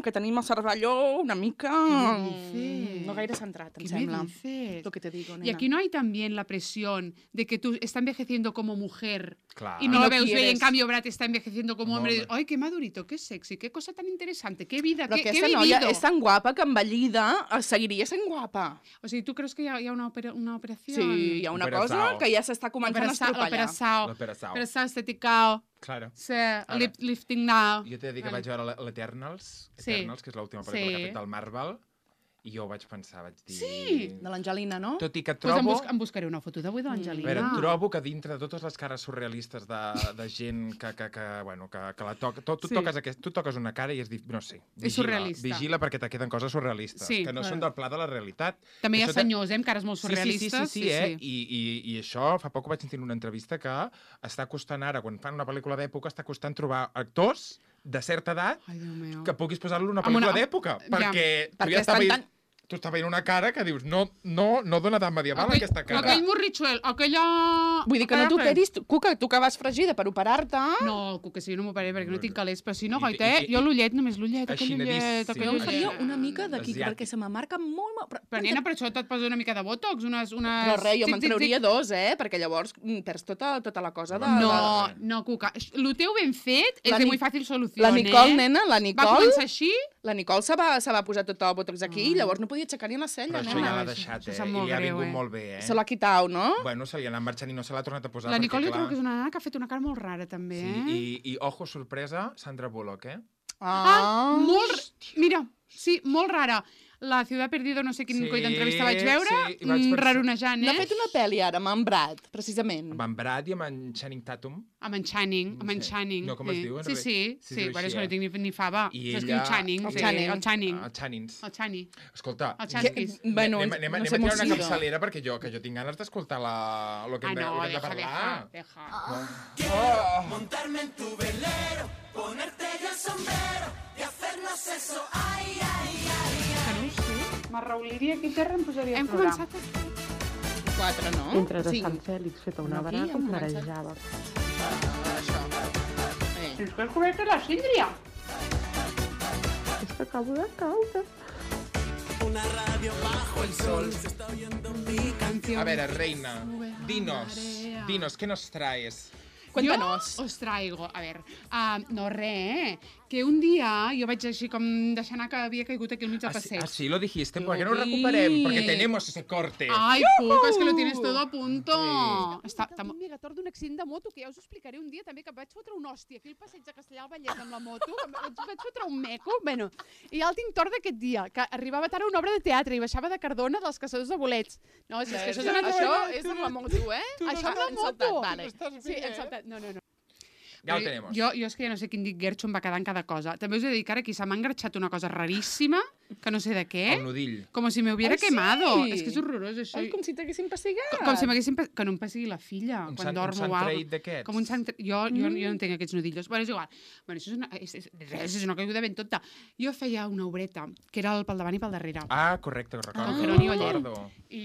que tenim el cervelló una mica... ¿Qué dices? No gaire centrat, em ¿Qué sembla. me dices? Lo que te digo, nena. Y aquí no hay también la presión de que tú estás envejeciendo como mujer Clar. y no, Y lo no veus bé, y en quieres. cambio Brad está envejeciendo como No, hombre. hombre. Ay, qué madurito, qué sexy, qué cosa tan interesante, qué vida, Però qué, qué aquesta vivido. noia és tan guapa que envellida eh, seguiria sent guapa. O sigui, tu creus que hi ha, hi ha una, opera, una operació? Sí, hi ha una Operação. cosa que ja s'està començant a estropellar. L'operació. L'operació. L'operació estética. Claro. Sí, lip, lifting now. Jo t'he de dir que Vale. vaig veure l'Eternals, Sí. Eternals, que és l'última pel·lícula Sí. que ha fet del Marvel, i jo vaig pensar, vaig dir... Sí. De l'Angelina, no? Tot i que Pues em, trobo... bus em buscaré una foto d'avui de A l'Angelina. veure, trobo que dintre de totes les cares surrealistes de, de gent que, que, que, bueno, que, que la toca... Tu, tu, Sí. toques aquest, tu toques una cara i és... Dif... No sé, vigila, És surrealista. vigila perquè te queden coses surrealistes, Sí. que no Clar. són del pla de la realitat. També hi ha Això te- senyors, eh, amb cares molt Sí, sí, surrealistes. sí, sí, sí, eh? I, i, I això, fa poc ho vaig sentir en una entrevista que està costant ara, quan fan una pel·lícula d'època, està costant trobar actors de certa edat Ai, Déu meu. que puguis posar-lo en una Amb una- pel·lícula d'època, Ja. perquè tu Perquè ja estava estan veient, tu estava veient una cara que dius, no, no, no dona edat medieval, aquesta cara. Aquell morritxuel, aquella... Vull dir que no aquella t'operis, tu- Cuca, tu que vas fregida per operar-te... No, que si jo no m'operé perquè no tinc calés, però si no, I- goita, i- eh? i- Jo l'ullet, només l'ullet, aquell Aixinadíssim. ullet, aquell Jo em ullet. faria una mica d'aquí, Asiàtic. perquè se me marca molt... molt però, Però, nena, per això te't posa una mica de botox, unes... unes... però res, jo tic, me'n tic, trauria tic. dos, eh? Perquè llavors mm, perds tota, tota la cosa de... No, de... no, Cuca. Lo teu ben fet és La de Ni- muy fàcil solució, La Nicole, eh? nena, la Va Nicole... començar així, La Nicole se va, se va posar tot el botox aquí i llavors no podia i aixecarien la cella, Però això nena. ja l'ha això- deixat, això eh? sap I molt li ha greu, vingut eh? molt bé, eh? Se l'ha quitat, no? Bueno, se li ha anat marxant i no se l'ha tornat a posar. La Nicole jo perquè, trobo clar... que és una nana que ha fet una cara molt rara, també, Sí, eh? i, i ojo, sorpresa, Sandra Bullock, eh? Ah, molt... Mira, sí, molt rara. La Ciudad Perdido, no sé quin Sí, coi d'entrevista vaig veure, sí, i vaig mm, pensar- rarunejant, N'ha eh? fet una pel·li ara, amb en Brad, precisament. Amb en Brad i amb en Channing Tatum. Amb en Channing, amb en Sí. Channing. No, com es sí. diu, en Sí, realitat? sí, Sí, sí, es diu bueno, així, és que no eh? tinc ni, ni fava. I S'escriu ella- Channing, El sí, Channing. el Channing. El Channings. El Channing. Escolta, El que- Channing. Bueno, anem, anem, no anem sé a tirar una molt si- capçalera perquè jo, que jo tinc ganes d'escoltar la... lo que Ah, hem de, no, lo que hem de deja, deja, parlar. deja. Oh. Montarme en tu velero, ponerte yo el sombrero y hacernos eso, ay, ay, ay. Que no ho sé. M'arrauliria aquí terra em posaria Hem a plorar. començat a... Quatre, no? Entres a Cinc. Sant Fèlix feta una Aquí braga hem em començat. marejava. Això. Eh. És que has cobert la síndria. És que acabo de caure. Una radio bajo el sol, se está oyendo mi canción. A veure, reina, Sube la dinos, marea. dinos, què nos traes? Cuéntanos. Jo os traigo, a ver, uh, no res, eh? Que un dia jo vaig així com deixar anar que havia caigut aquí al mig del Así, passeig. así lo dijiste, ¿por qué no Lo recuperem? vi. Porque tenemos ese corte. Ai, puc, és que lo tienes todo a punto. Sí. Està, està... Un megator d'un accident de moto, que ja us ho explicaré un dia també, que em vaig fotre una hòstia aquí al passeig de Castellà al Vallès amb la moto, que em vaig, vaig fotre un meco, bueno, i ja el tinc tort d'aquest dia, que arribava tard a una obra de teatre i baixava de Cardona dels caçadors de bolets. No, és, és que això és, Això, això això és amb la moto, eh? això amb la hem moto. saltat, vale. Sí, hem saltat. No, no, no. Ja ho Però tenemos. Jo, jo és que ja no sé quin dit Gertxo em va quedar en cada cosa. També us he de dir que ara aquí se m'ha engarxat una cosa raríssima, que no sé de què, El nudil. com si me hubiera Ai, sí? quemado. És que és horrorós, això. Ai, com si t'haguessin pessegat. Com, com si m'haguessin... pe- Que no em pessigui la filla Un quan sant, un dormo sant o alguna traït d'aquests. Com un sant... Jo, jo, jo no entenc aquests nudillos. Bueno, és igual. Bueno, això és una, és, és, res, és una caiguda ben tonta. Jo feia una obreta, que era el pel davant i pel darrere. Ah, correcte, ho recordo. Con Jerónimo Oller. recordo. I,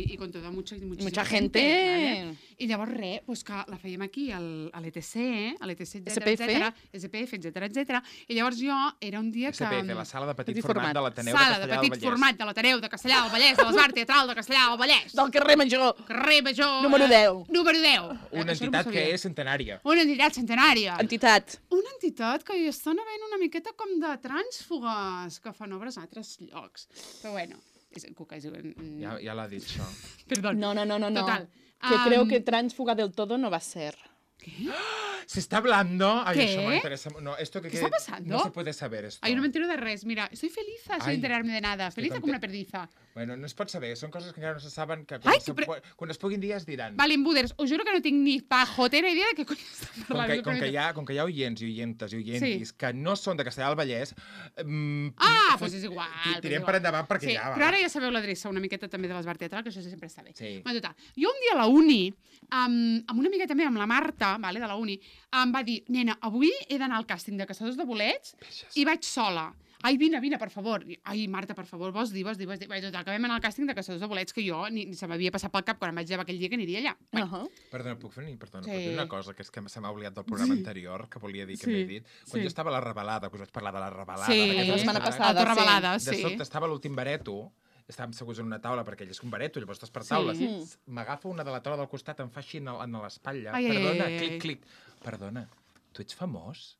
i, i con toda mucha, muchísima Mucha gente. ¿vale? I llavors res, pues que la fèiem aquí al, a l'E T C, a l'E T C, S P F. etcètera, S P F, etcètera, etcètera. I llavors jo era un dia que... S P F, la sala de petit, Petit format, format. de l'Ateneu de Sala de Castellà petit del Vallès. format de l'Ateneu de Castellà del Vallès, de l'Esbar Teatral de Castellà del Vallès. Del carrer Major. Carrer Major... Número eh, deu. Número deu. Una Eh, això no m'ho entitat que sabia. és centenària. Una entitat centenària. Entitat. Una entitat que hi estan havent una miqueta com de trànsfugues, que fan obres a altres llocs. Però bueno, és, Cuca, és, mm, Ja, ja l'ha dit, això. Perdó. No, no, no, no. no. Total. Que Am, creo que tránsfuga del todo no va a ser. ¿Qué? Se está hablando... Ay, ¿Qué? eso me interesa. No, esto que ¿Qué que- está pasando? No se puede saber esto. Ay, no me entero de res. Mira, estoy feliz sin Ai, enterarme de nada. estic Feliz com content. una perdiza. Bueno, no es pot saber. Són coses que encara no se saben, que Ai, quan, se, però- quan es puguin dir es diran. Vale, Embuders, us juro que no tinc ni pajotera idea de què cony estan Com parlant. que, com, que hi ha, com que hi ha oients i oientes i oientis Sí. que no són de Castellà del Vallès... Mm, Ah, fot- doncs és igual. ti- doncs Tirem igual. per endavant perquè sí, ja va. Però ara ja sabeu l'adreça una miqueta també de l'Esbar Teatral, que això sempre està bé. Sí. Bueno, total. Jo un dia a la uni, amb, amb una amiga també, amb la Marta, vale, de la uni, em va dir, nena, avui he d'anar al càsting de Caçadors de Bolets i vaig sola. Ai, vine, vine, per favor. I, Ai, Marta, per favor, vols dir, vols dir, vols dir. Bé, total, que vam anar al càsting de Caçadors de Bolets, que jo ni, ni se m'havia passat pel cap quan em vaig llevar aquell dia que aniria allà. Uh -huh. Perdona, puc fer, perdona, Sí. puc dir una cosa, que és que se m'ha oblidat del programa anterior, que volia dir que Sí. m'he dit. Quan Sí. jo estava a la revelada, que us vaig parlar de la revelada... Sí, d'aquesta la setmana setmana, passada, Autorevelada, De sí. sobte estava l'últim bareto, estàvem seguts en una taula, perquè ell és un bareto, llavors estàs per taules. Sí. Sí. M'agafa una de la taula del costat, em fa així en, el- en l'espatlla. Ai, ai, Perdona, ai, ai. clic, clic. Perdona, tu ets famós?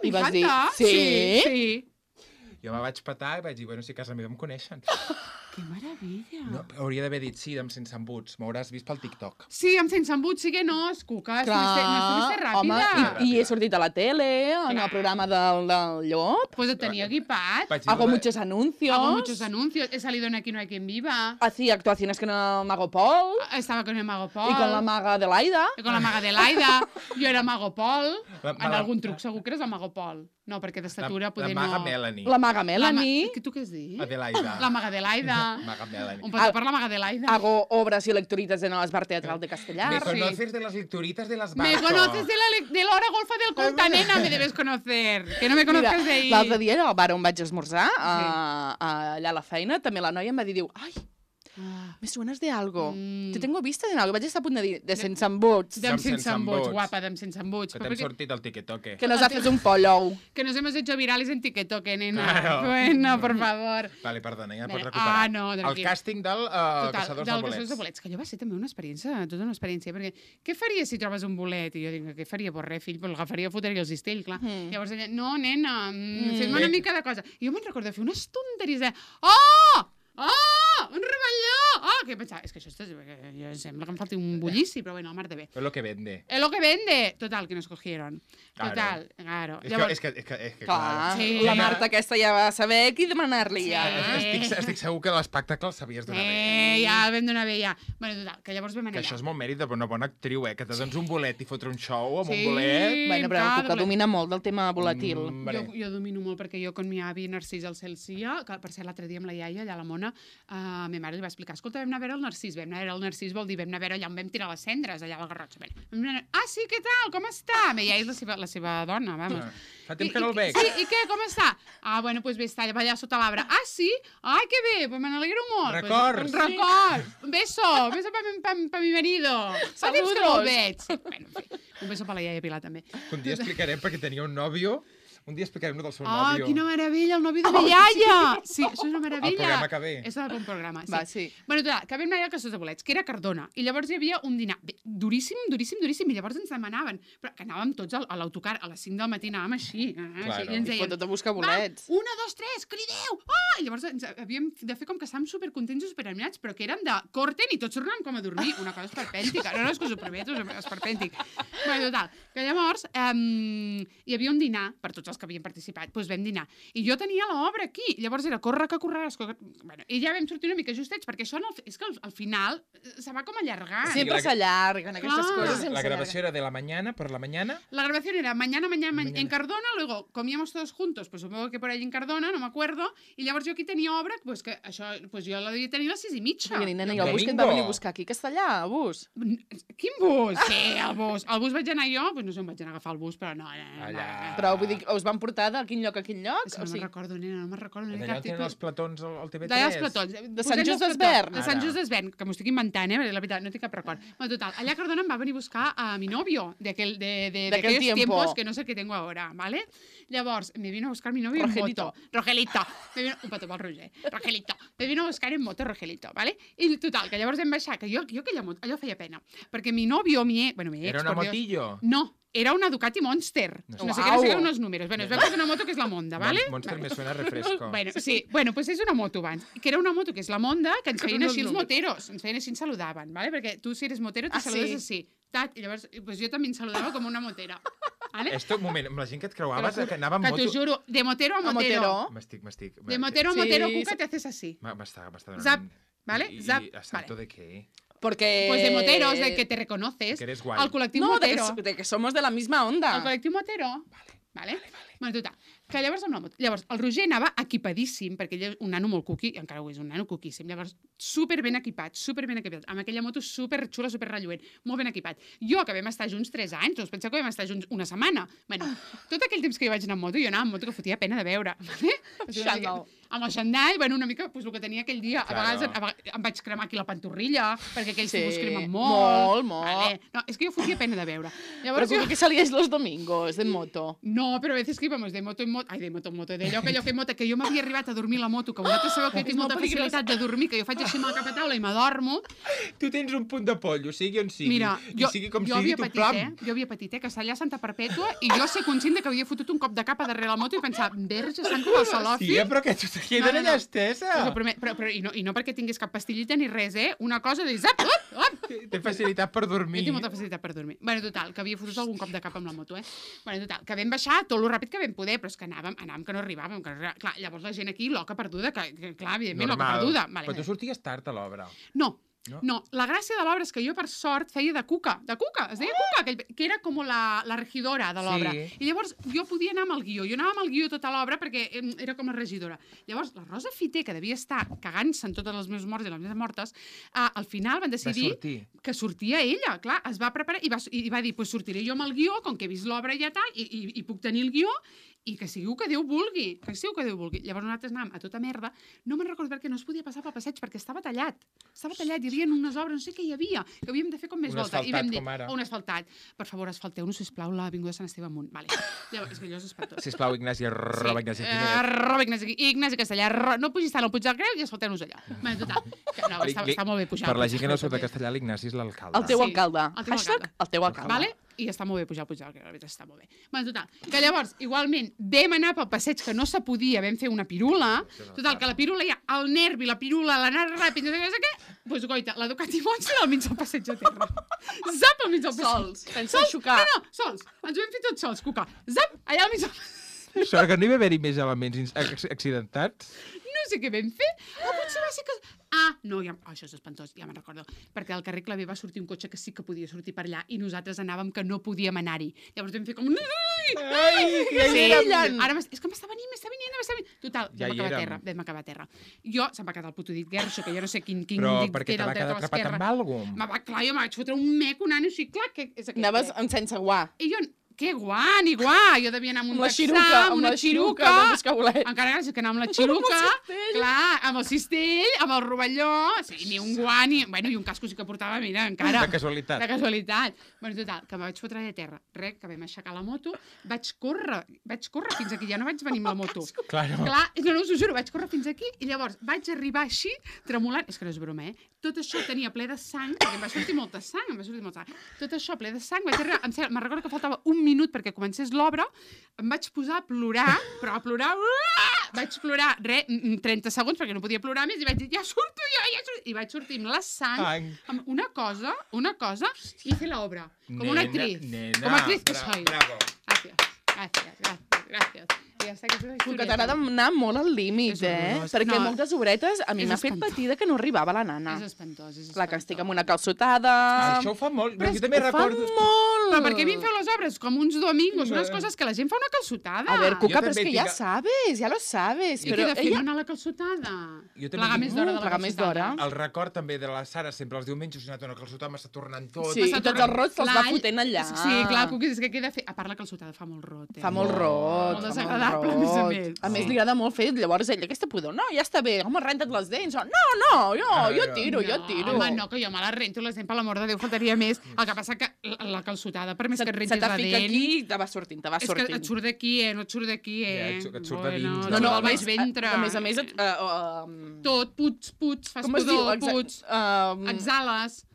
I vas dir, M'encanta. sí? Sí, sí. Jo me vaig petar i vaig dir, bueno, si a casa meva em coneixen. Que meravella. No, hauria d'haver dit sí, amb sense embuts. M'hauràs vist pel TikTok. Sí, amb sense embut, sí que no, Cuca. Clar, No estuviste home, ràpida. i, i he sortit a la tele, en Clar. el programa del, del Llop. Pues et tenia equipat. Vaig dir, Hago "Lo de- muchos anuncios. Hago muchos anuncios. He salido en Aquí no hay quien viva. Hacía actuaciones con el Mago Paul Estaba con el Mago Pol. y con la maga de Laida. I con la maga de Laida. Jo era Mago Pol. La- En la- algun truc segur que eres el Mago Pol. No, perquè d'estatura la, poder la maga no... Melanie. La maga La ma- Melanie. Que tu què has dit? Adelaida. La maga de Laida. Maga Melanie. Un petó per la maga de Laida. Hago obras y lecturitas en el Esbar Teatral de Castellar. Me sí. conoces de las lecturitas de las Me barcos. conoces de la, le- de la hora golfa del Conta, nena, me debes conocer. Que no me conozcas de ahí. L'altre dia, al bar on vaig esmorzar, a, a, allà a la feina, també la noia em va dir, diu, ai, Ah. Me suenas de algo. Mm. Te tengo vista de algo. Vaig estar a punt de dir de sense embuts. Dem Dem sense sense embuts, embuts. guapa, dem sense embuts. Que Però t'hem perquè- sortit al tiquetoque. Que nos haces un follow. Que nos hemos hecho virales en TikTok, nena. Claro. Bueno, por favor. Vale, perdona, ja pots Mira, recuperar. ah, no, El tranquil. càsting del uh, Total, Caçadors del de Bolets. Caçadors de Bolets, que allò va ser també una experiència, tota una experiència, perquè què faries si trobes un bolet? I jo dic, què faria? Pues res, fill, pues l'agafaria, fotria el cistell, clar. Mm. Llavors ella, no, nena, mm, Mm. fes-me una mica de cosa. I jo me'n recordo de fer unes tonteries de, oh! Oh! Un rebelló! Oh! Que pensava, és que això és, jo sembla que em falti un bullici, però bueno, mar de bé. És lo que vende. Es lo que vende. Total, que nos cogieron. Claro. Total, claro. És Llavors, que, és que, és que, és que Clar, clar. Sí. la Marta aquesta ja va saber qui demanar-li Sí. ja. Estic, estic segur que l'espectacle el sabies donar bé. eh, ja el vam donar bé, ja. Bueno, total, que llavors vam Que anar això allà. és molt mèrit d'una bona actriu, eh? Que te dones un bolet i fotre un show amb Sí. un bolet. Bueno, però Clar, la Cuca doble- domina molt del tema volàtil. Mm, Jo, vale. jo domino molt perquè jo, con mi avi Narcís el Celsia, que per cert l'altre dia amb la iaia, allà a la Mona, a uh, ma mare li va explicar, escolta, vam anar a veure el Narcís, vam anar a veure el Narcís, vol dir, vam anar a veure allà on vam tirar les cendres, allà al Garrotxa. Vam anar, ah, sí, què tal, com està? Ma iaia és la seva, la seva dona, vamos. Ah, fa temps I- que no el i- veig. Sí, i què, com està? Ah, bueno, doncs pues bé, està allà, allà sota l'arbre. Ah, sí? Ai, que bé, pues me n'alegro molt. Records. Pues, un record. Un beso, un beso para mi, pa, pa mi marido. Fa temps que no el veig. Sí, bueno, en fi, un beso per la iaia Pilar, també. Un dia explicarem perquè tenia un nòvio. Un dia explicarem del seu Ah, nòvio. quina meravella, el nòvio de la iaia! Sí, això és una meravella. El programa que ve. És el bon programa, sí. Va, sí. Bueno, total, que vam anar al Caçadors de Bolets, que era a Cardona, i llavors hi havia un dinar bé, duríssim, duríssim, duríssim, i llavors ens demanaven, però que anàvem tots al- a l'autocar, a les cinc del matí anàvem així, eh, Claro. així i ens I deien, fotot a buscar va, bolets. una, dos, tres, crideu! Ah! I llavors ens havíem de fer com que estàvem supercontents i superanimats, però que érem de corten i tots tornàvem com a dormir, una cosa esperpèntica, no, no, és que us ho prometo, és esperpèntic. Bueno, total, que llavors um, hi havia un dinar per tots els que havien participat, doncs vam dinar. I jo tenia l'obra aquí, llavors era corre que correràs, corre... Bueno, i ja vam sortir una mica justets, perquè això no, és que al, al final eh, se va com allargant. Sí, Sempre la- s'allarguen aquestes Clar. coses. La sempre grabació era de la mañana, por la mañana. La grabación era mañana, mañana, mañana, Mañana. en Cardona, luego comíamos todos juntos, pues supongo que por ahí en Cardona, no me acuerdo, i llavors jo aquí tenia obra, pues que això, pues jo la devia tenir a les sis i mitja. s'allarguen. I, nena, i el bus que et va Domingo. venir a buscar aquí a Castellà, el bus. Quin bus? Sí, el bus. El bus vaig anar jo, pues no sé on vaig anar a agafar el bus, però no. no, no, Allà. no. Però vull dir, us van portar de quin lloc a quin lloc? És que O no sigui, me'n recordo, nena, no me'n recordo. No D'allà on tenen els platons al, al T V tres. D'allà els platons. De Sant Just Posem els d'Esvern. platons. De Sant Ara. Just d'Esvern, que m'ho estic inventant, eh? perquè La veritat, no tinc cap record. Bueno, total, allà a Cardona em va venir a buscar a mi novio, de, aquel, de, de, de D'aquell aquellos tiempo. tiempos que no sé qué tengo ahora, ¿vale? Llavors, me vino a buscar mi novio Rogelito. en moto. Rogelito. Me vino... Un petó pel Roger. Rogelito. Me vino a buscar en moto Rogelito, ¿vale? I total, que llavors vam baixar, que jo, jo aquella moto, allò feia pena. Perquè mi novio, mi... Bueno, mi ex, Era una por Dios, motillo. No, era una Ducati Monster. No No, sé. sé qué, no sé qué, Uau. unos números. Bueno, es veu que és una moto que és la Monda, ¿vale? Mon- Monster Vale. me suena a refresco. Bueno, sí, bueno, pues és una moto abans, que era una moto que és la Monda, que ens Que feien són així els els números. moteros, ens feien així, ens saludaven, ¿vale? Perquè tu si eres motero te Ah, saludes sí? així. Tat, i llavors, pues jo també em saludava com una motera. ¿Vale? Esto, un moment, amb la gent que et Te lo creuaves, juro, que anava amb que moto... t'ho juro, de motero a a motero. Motero. M'estic, m'estic... De motero a Sí, motero, sí. Cuca, te haces así. M'ha- M'està m'està donant... Zap, ¿vale? I, Zap, I a salto vale. de què? Porque... Pues de moteros, de que te reconoces. Que eres guai. Al col·lectiu No, de que, motero. so- de que somos de la misma onda. El col·lectiu motero. Vale. Vale? Bueno, total, que llavors amb la moto... Llavors, el Roger anava equipadíssim, perquè ell és un nano molt cuqui, i encara ho és, un nano cuquíssim. Llavors, super ben equipat, super ben equipat, amb aquella moto super xula, super relluent, molt ben equipat. Jo, que vam estar junts tres anys, us penseu que vam estar junts una setmana. Bueno, tot aquell temps que jo vaig anar amb moto, jo anava amb moto que fotia pena de veure. Vale? O sigui, Xandall. amb el xandall, bueno, una mica pues, el que tenia aquell dia. A Claro. vegades, a vegades em vaig cremar aquí la pantorrilla, perquè aquells Sí, tipus cremen molt, molt. molt. Vale. No, és que jo fotia pena de veure. Pero Llavors, como jo... que salíais los domingos en moto. No, però a veces que íbamos de moto en moto... Ai, de moto en moto, d'allò que allò que moto, que jo m'havia arribat a dormir a la moto, que vosaltres sabeu que jo És tinc molt molta peligrós. facilitat de dormir, que jo faig així amb el cap a taula i m'adormo. Tu tens un punt de pollo, sigui on sigui. Mira, jo, I sigui com jo sigui, havia tu patit, plam. eh? Jo havia patit, eh? Que allà a Santa Perpètua i jo ser conscient de que havia fotut un cop de capa darrere la moto i pensava, verge, santa del Salofi. Tia, però que tu te queda No, no, allà no. estesa. Us ho promet, però, però, i, no, I no perquè tingués cap pastillita ni res, eh? Una cosa de zap, up, up. Té facilitat per Jo dormir. tinc molta facilitat per dormir. Bueno, total, que havia fotut algun cop de cap amb la moto, eh? Bueno, total, que vam baixar tot lo ràpid que vam poder, però és que anàvem, anàvem que no arribàvem. Que no arribàvem. Clar, llavors la gent aquí, loca perduda, que, que clar, evidentment, loca Normal. perduda. Vale. Però tu sorties tard a l'obra. No, No? no, la gràcia de l'obra és que jo, per sort, feia de cuca, de cuca, es deia cuca, que, que era com la, la regidora de l'obra. Sí. I llavors jo podia anar amb el guió, jo anava amb el guió tota l'obra perquè em, era com la regidora. Llavors, la Rosa Fiter, que devia estar cagant-se en totes les meus morts i les meves mortes, uh, al final van decidir sortir. que sortia ella, clar, es va preparar i va, i va dir, pues sortiré jo amb el guió, com que he vist l'obra ja tal, i, i, i puc tenir el guió, i que sigui el que Déu vulgui, que sigui el que Déu vulgui. Llavors nosaltres anàvem a tota merda, no me'n recordo perquè no es podia passar pel passeig, perquè estava tallat. Estava tallat, hi havia unes obres, no sé què hi havia, que havíem de fer com més Un volta. I asfaltat, vam dir, com ara. un asfaltat. Per favor, asfalteu-nos, sisplau, l'avinguda Sant Esteve amunt. Vale. Llavors, és que allò és espantós. Sisplau, Ignasi, arroba Ignasi Eh, Jiménez. arroba Ignasi, Ignasi Castellà, arro... no pugis tant al Puig del Creu i asfalteu-nos allà. Bueno, total, que no, està, Li- està molt bé pujar. Per al la Puig gent que del no surt de Creu, Castellà, l'Ignasi és l'alcalde. El teu Sí, alcalde. el teu Hashtag alcalde. el teu alcalde. Vale? I està molt bé pujar al Puig del Creu, la veritat està molt bé. Bueno, total, que llavors, igualment, vam anar pel passeig que no se podia, vam fer una pirula, total, que la pirula ja, el nervi, la pirula, l'anar ràpid, no sé què, no sé què, doncs, goita, la Ducati Monster al mig del passeig de terra. Zap, al mig del passeig. Sols, sense xocar. No, no, sols. Ens ho vam fer tots sols, Cuca. Zap, allà al mig del passeig. Sort que no hi va haver-hi més elements ins- ac- accidentats. No sé què vam fer. O potser va ser que... Ah, no, ja... oh, això és espantós, ja me'n recordo. Perquè al carrer Clavé va sortir un cotxe que sí que podia sortir per allà i nosaltres anàvem que no podíem anar-hi. Llavors vam fer com... Ai, Ai, que sí, hi érem. ara m'es- és que m'està venint, m'està venint, m'està venint. Total, Ja vam hi acabar a érem. terra, vam acabar a terra. Jo, se'm va quedar el puto dit guerxo, que jo no sé quin, quin Però dit perquè que te era va el dret quedar o atrapat l'esquerra. amb alguna Me va, clar, jo me vaig fotre un mec, un nano així, clar, que és aquest. Anaves que- amb sense guà. I jo, què guà, ni guà, jo devia anar amb un Amb la texà, xiruca, amb una la xiruca, xiruca, amb escabolet. encara gràcies que anar amb la xiruca, cistell. clar, amb el cistell, amb el rovelló, sí, ni un guà, ni... Bueno, i un casco sí que portava, mira, encara. De casualitat. De casualitat. Bueno, total, que me vaig fotre de terra. Res, que vam aixecar la moto, vaig córrer, vaig córrer fins aquí, ja no vaig venir amb la moto. Claro. Clar, no, no, us ho juro, vaig córrer fins aquí i llavors vaig arribar així, tremolant, és que no és broma, eh? Tot això tenia ple de sang, perquè em va sortir molta sang, em va sortir molta sang. Tot això ple de sang, vaig arribar, em sembla, me'n recordo que faltava un minut perquè comencés l'obra, em vaig posar a plorar, però a plorar, uah! Vaig plorar, re, trenta segons, perquè no podia plorar més, i vaig dir, ja surto jo, ja surto, i vaig sortir amb la sang, Ai. amb una cosa, una cosa, i fer l'obra, com una Nena, actriz, nena, com a actriz que bra- soy. bravo. Gràcies, gràcies, gràcies, gràcies. I ja està, aquesta és la Que historieta. t'agrada anar molt al límit, És eh? horrorós. Perquè No, moltes obretes a mi és m'ha fet espantós. patir de que no arribava la nana. És espantós, és espantós. Clar, que estic amb una calçotada... Això ho fa molt. Però Jo és també que ho fa recordo... molt! Però per què a mi em feu les obres com uns domingos, unes No. coses que la gent fa una calçotada? A ver, Cuca, Jo però és també que ja tinc- sabes, ja lo sabes. I Però què de fer, ella... no anar a la calçotada? Jo també Plegar tinc- més d'hora de la Plegar més calçotada. d'hora. El record també de la Sara, sempre els diumenges, ha anat una calçotada, m'està tornant tot. Sí, i M'està tots tornant els rots te'ls va l'all. fotent allà. Sí, clar, Cuqui, és que què he de fer? A part, la calçotada fa molt rot, eh? Fa molt rot. Molt fa desagradable, a més a més. A més, Sí. li agrada molt fer, llavors ella, aquesta pudor, no, ja està bé, home, renta't les dents. O, no, no, jo, Ah, jo no. tiro, jo tiro. Home, no, que jo me la rento, les dents, per l'amor de Déu, faltaria més. El que passa que la, la calçotada, per més Se, que et se rentis te la fica dent... aquí i te va sortint, te va És que sortint. et surt d'aquí, eh? No et surt d'aquí, eh? Ja, et surt- et surt de dins, no, No, no, no, a el més, baix ventre. a, a més a més, et, uh, uh, Tot, puig, puig, fas com es diu? pudor, Exa- puig, Uh, exhales,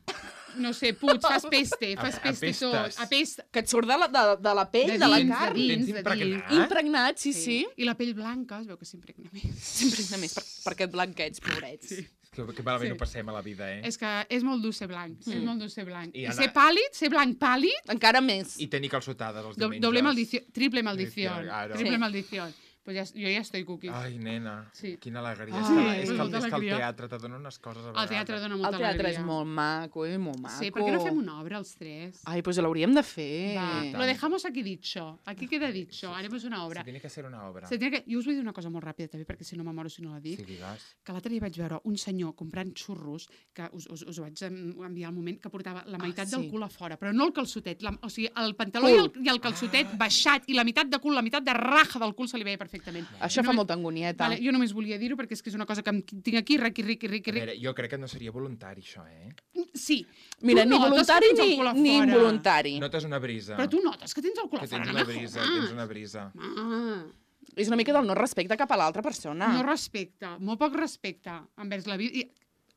no sé, puig, fas peste, fas A- peste tot, apestes. apesta. que et surt de la, de, de la pell, de, De la dins, de carn. dins. Tens de impregnat? Impregnat, sí, sí. I la pell blanca, es veu que s'impregna més. S'impregna més per, per aquest blanquets, pobrets. Sí. Que, que malament Sí. ho passem a la vida, eh? És que és molt dur ser blanc, és molt dur ser blanc. I I, anar- ser pàl·lid, ser blanc pàl·lid, Encara més. I tenir calçotades els do, diumenges. doble maldició, triple maldició, Claro. triple Sí. maldició. Pues ja, jo ja estoy cookie. Ai, nena, Sí. quina alegria. Ai, és, que, és, pues que, el- molta és que el alegria. teatre te dona unes coses a vegades. El teatre dona El molta teatre alegria. és molt maco, eh? Molt maco. Sí, per què no fem una obra els tres? Ai, pues l'hauríem de fer. Va, tant. lo dejamos aquí dicho. Aquí queda dicho. Haremos una obra. Se tiene que ser una obra. Se tiene que... Jo us vull dir una cosa molt ràpida, també, perquè si no m'amoro si no la dic. Sí, digues. Que l'altre dia vaig veure un senyor comprant xurros, que us, us, us ho vaig en- enviar al moment, que portava la meitat sí. del cul a fora, però no el calçotet, la, o sigui, el pantaló i el, i el calçotet Ah. baixat, i la meitat de cul, la meitat de raja del cul se li veia perfectament. Això No fa me- molta angonieta. Vale, jo només volia dir-ho perquè és que és una cosa que em tinc aquí, riqui, riqui, riqui, A riqui. veure, jo crec que no seria voluntari, això, eh? Sí. Mira, Tu ni notes que voluntari tens el ni, cul a ni fora. involuntari. Notes una brisa. Però tu notes que tens el cul Que a fora. tens no una me brisa, jodas. tens una brisa. Ah, És una mica del no respecte cap a l'altra persona. no respecte, molt poc respecte envers la vida. I,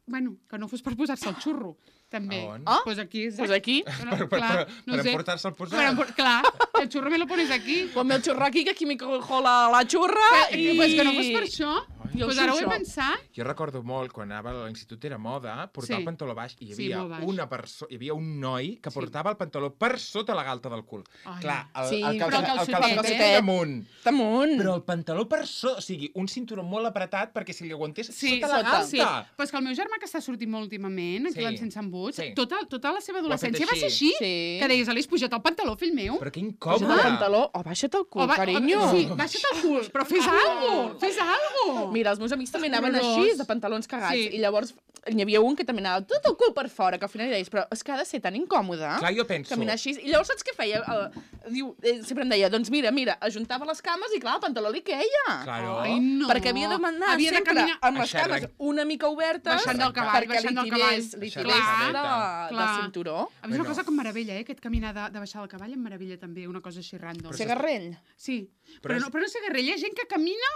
bueno, que no fos per posar-se el xurro, també. A on? Ah, Pues aquí. Pues aquí. No, Per, per, clar, per, no per sé. emportar-se el Per posar. empor- clar, el xurro me lo pones aquí. Ponme el xurro aquí, que aquí m'hi cojo la, la xurra Que, i... pues que no fos per això. I el Pues ara ho he xuxo. pensat. Jo recordo molt, quan anava a l'institut era moda, portar Sí. el pantaló baix i hi Sí, havia, molt baix. una perso hi havia un noi que Sí. portava el pantaló per sota la galta del cul. Ai. Clar, el, Sí, el, però calça, el el calçotet, calçotet eh? damunt. Damunt. Però el pantaló per sota, o sigui, un cinturó molt apretat perquè si li aguantés Sí, sota la sota. galta. Sí, però és que el meu germà que està sortint molt últimament, aquí Sí. a l'Encense Embuts, Sí. tota, tota la seva fet adolescència va ser així. així, Sí. que deies, Alice, puja't el pantaló, fill meu. Però que Baixa't incòmode. el pantaló o baixa't el cul, O va- carinyo. Sí, baixa't el cul, però fes alguna cosa, fes alguna cosa. Mira, mira, els meus amics també anaven Horrorós. així, de pantalons cagats. Sí. I llavors n'hi havia un que també anava tot el cul per fora, que al final li deies, però és que ha de ser tan incòmode. Clar, jo penso... Caminar així. I llavors saps què feia? Uh, diu, eh, sempre em deia, doncs mira, mira, ajuntava les cames i clar, el pantaló li queia. Claro. Ai, no. Perquè havia de manar Havia de sempre caminar- amb les Això era- cames una mica obertes Baixant del cavall, perquè baixant li del tirés, cavall. li Baixant tirés la de, cabeta. de Clar. cinturó. A mi és una Bueno. cosa com meravella, eh? Aquest caminar de, de baixar del cavall em meravella també, una cosa així random. Ser garrell. Sí, Però però, és- no, però no sé guerrilla, hi ha gent que camina,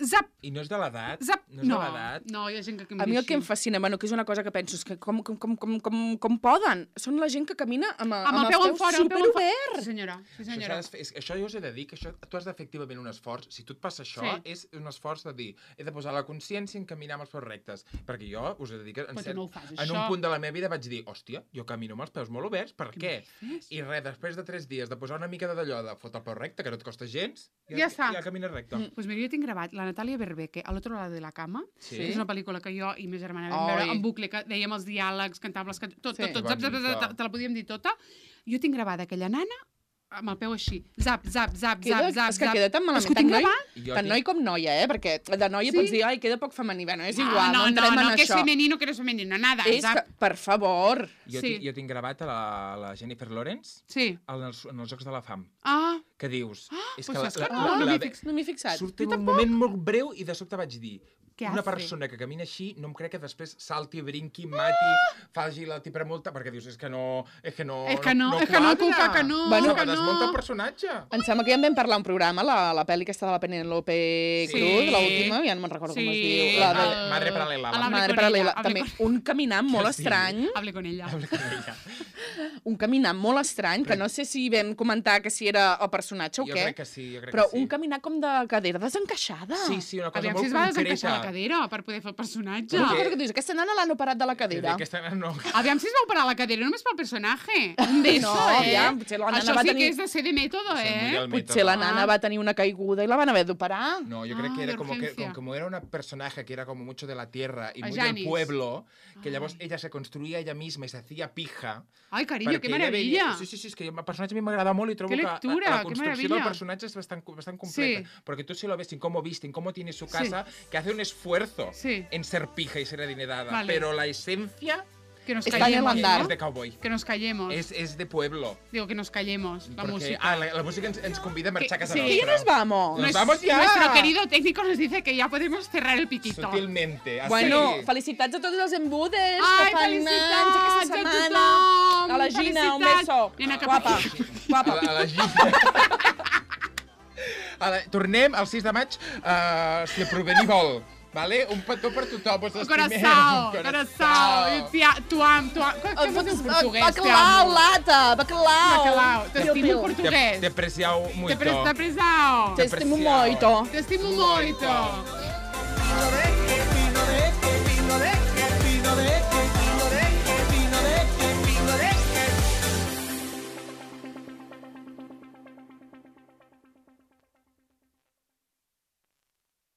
zap, I no és de l'edat? zap, No és no, de l'edat? no, hi ha gent que camina A mi el que em així. fascina, bueno, que és una cosa que penso, és que com, com, com, com, com, com poden? Són la gent que camina amb, Amb el els peu en peus fora, el peu en fora. superoberts. Sí, senyora, sí, Això, senyora. s'ha de fer- és, això jo us he de dir que això, tu has de fer activament un esforç. Si tu et passa això, Sí. és un esforç de dir he de posar la consciència en caminar amb els peus rectes. Perquè jo us he de dir que en, Però tu cert, no ho fas, en això. un punt de la meva vida vaig dir hòstia, jo camino amb els peus molt oberts, per què? fes? I res, després de tres dies de posar una mica de d'allò de fotre el peu recte, que no et costa gens, Ja està. ja camines recte. Doncs pues mira, jo tinc gravat la Natàlia Berbeque, a l'altre lado de la cama, Sí? que és una pel·lícula que jo i ma germana vam Ai. veure en bucle, que dèiem els diàlegs, cantàvem les cançons, tot, Sí. tot, tot, Que zap, zap, bonica. zap, zap, te la podíem dir tota. Jo tinc gravada aquella nana amb el peu així, zap, zap, zap, Queda, zap, zap, és que zap. queda tan És malament, que ho tant tinc noi, gravat. I jo tant tinc- noi com noia, eh? Perquè de noia Sí? pots dir, ai, queda poc femení. Bueno, és igual, no, no, entrem no, en no, que és això. femenino, que no és femenino, nada, És zap. que, per favor. Jo, Sí. tinc, jo tinc gravat a la, la Jennifer Lawrence Sí. en els, en els Jocs de la Fam, Ah, que dius... pues saps que no, Ah, no no m'hi m'hi fix, no m'hi he fixat. Surt en un moment molt breu i de sobte vaig dir Què una hace? persona que camina així no em crec que després salti, brinqui, mati, faci la tipa multa, perquè dius, és que no... És que no, És que no, és que no, Cuca, que no, Bueno, que que desmunta el no. personatge. Em sembla que ja en vam parlar un programa, la, la pel·li aquesta de la Penélope Sí. Cruz, l'última, ja no me'n recordo com es Sí, diu. La de... el- Madre paral·lela. a La Hable Madre con paral·lela. ella, També hable un caminant molt Que sí. estrany, Hable con ella. Habla con ella. un caminant molt estrany, que no sé si vam comentar que si era el personatge o Jo què, crec que sí, jo crec però que sí. un caminar com de cadera desencaixada. Sí, sí, una cosa Aviam molt si es va desencaixar la concreta. cadera per poder fer el personatge. Una Perquè- cosa que dius, aquesta nana l'han operat de la Que cadera. Aquesta no... Aviam si es va operar la cadera només pel personatge. Un beso, No, eh? aviam, potser la nana Això va sí tenir- que és de ser de método, Això és muy eh? del Potser la método. nana Ah. va tenir una caiguda i la van haver d'operar. No, yo creo Ah, que era de como que urgencia. como, como era una personaje que era como mucho de la tierra y A muy Janis. del pueblo, que llavors Ai. ella se construía ella misma y se hacía pija. Ai, carinyo, perquè que ella meravella. Veia... Sí, sí, sí, és que el personatge a mi m'agrada molt i trobo Que que lectura, la, la que construcció del maravilla. personatge es bastant, bastant completa. Sí. Porque tú si lo ves en cómo viste, en cómo tiene su casa, que hace un esfuerzo Sí. en ser pija y ser adinerada, Vale. pero la esencia Que nos Está en el callemos, andar. es ¿no? de cowboy. Que nos callemos. Es, es de pueblo. Digo, que nos callemos, la Porque, música. Ah, la, la música ens, ens convida a marxar a casa sí. Que ja nos vamos. Nos Nues- vamos ya. Nuestro querido técnico nos dice que ya podemos cerrar el piquito. Sutilmente. Así. Bueno, felicitats a tots els embudes Ai, que fan felicitats anys aquesta a setmana. tothom! A la Gina, un Felicitats. beso. Nena, cap Guapa, aquí. guapa. A la, a la Gina. A la, tornem el sis de maig, uh, si el provenir vol. Vale? Un petó per tothom. Us estimem. Coração, coração. Tia, tu am, tu am. Com es diu en portuguès? Bacalao, lata, bacalao. Bacalao. Piu, T'estimo piu. en portuguès. Te, te apreciau Te muito. pre- te apreciao. Te estimo Apreciao. moito. Te estimo moito.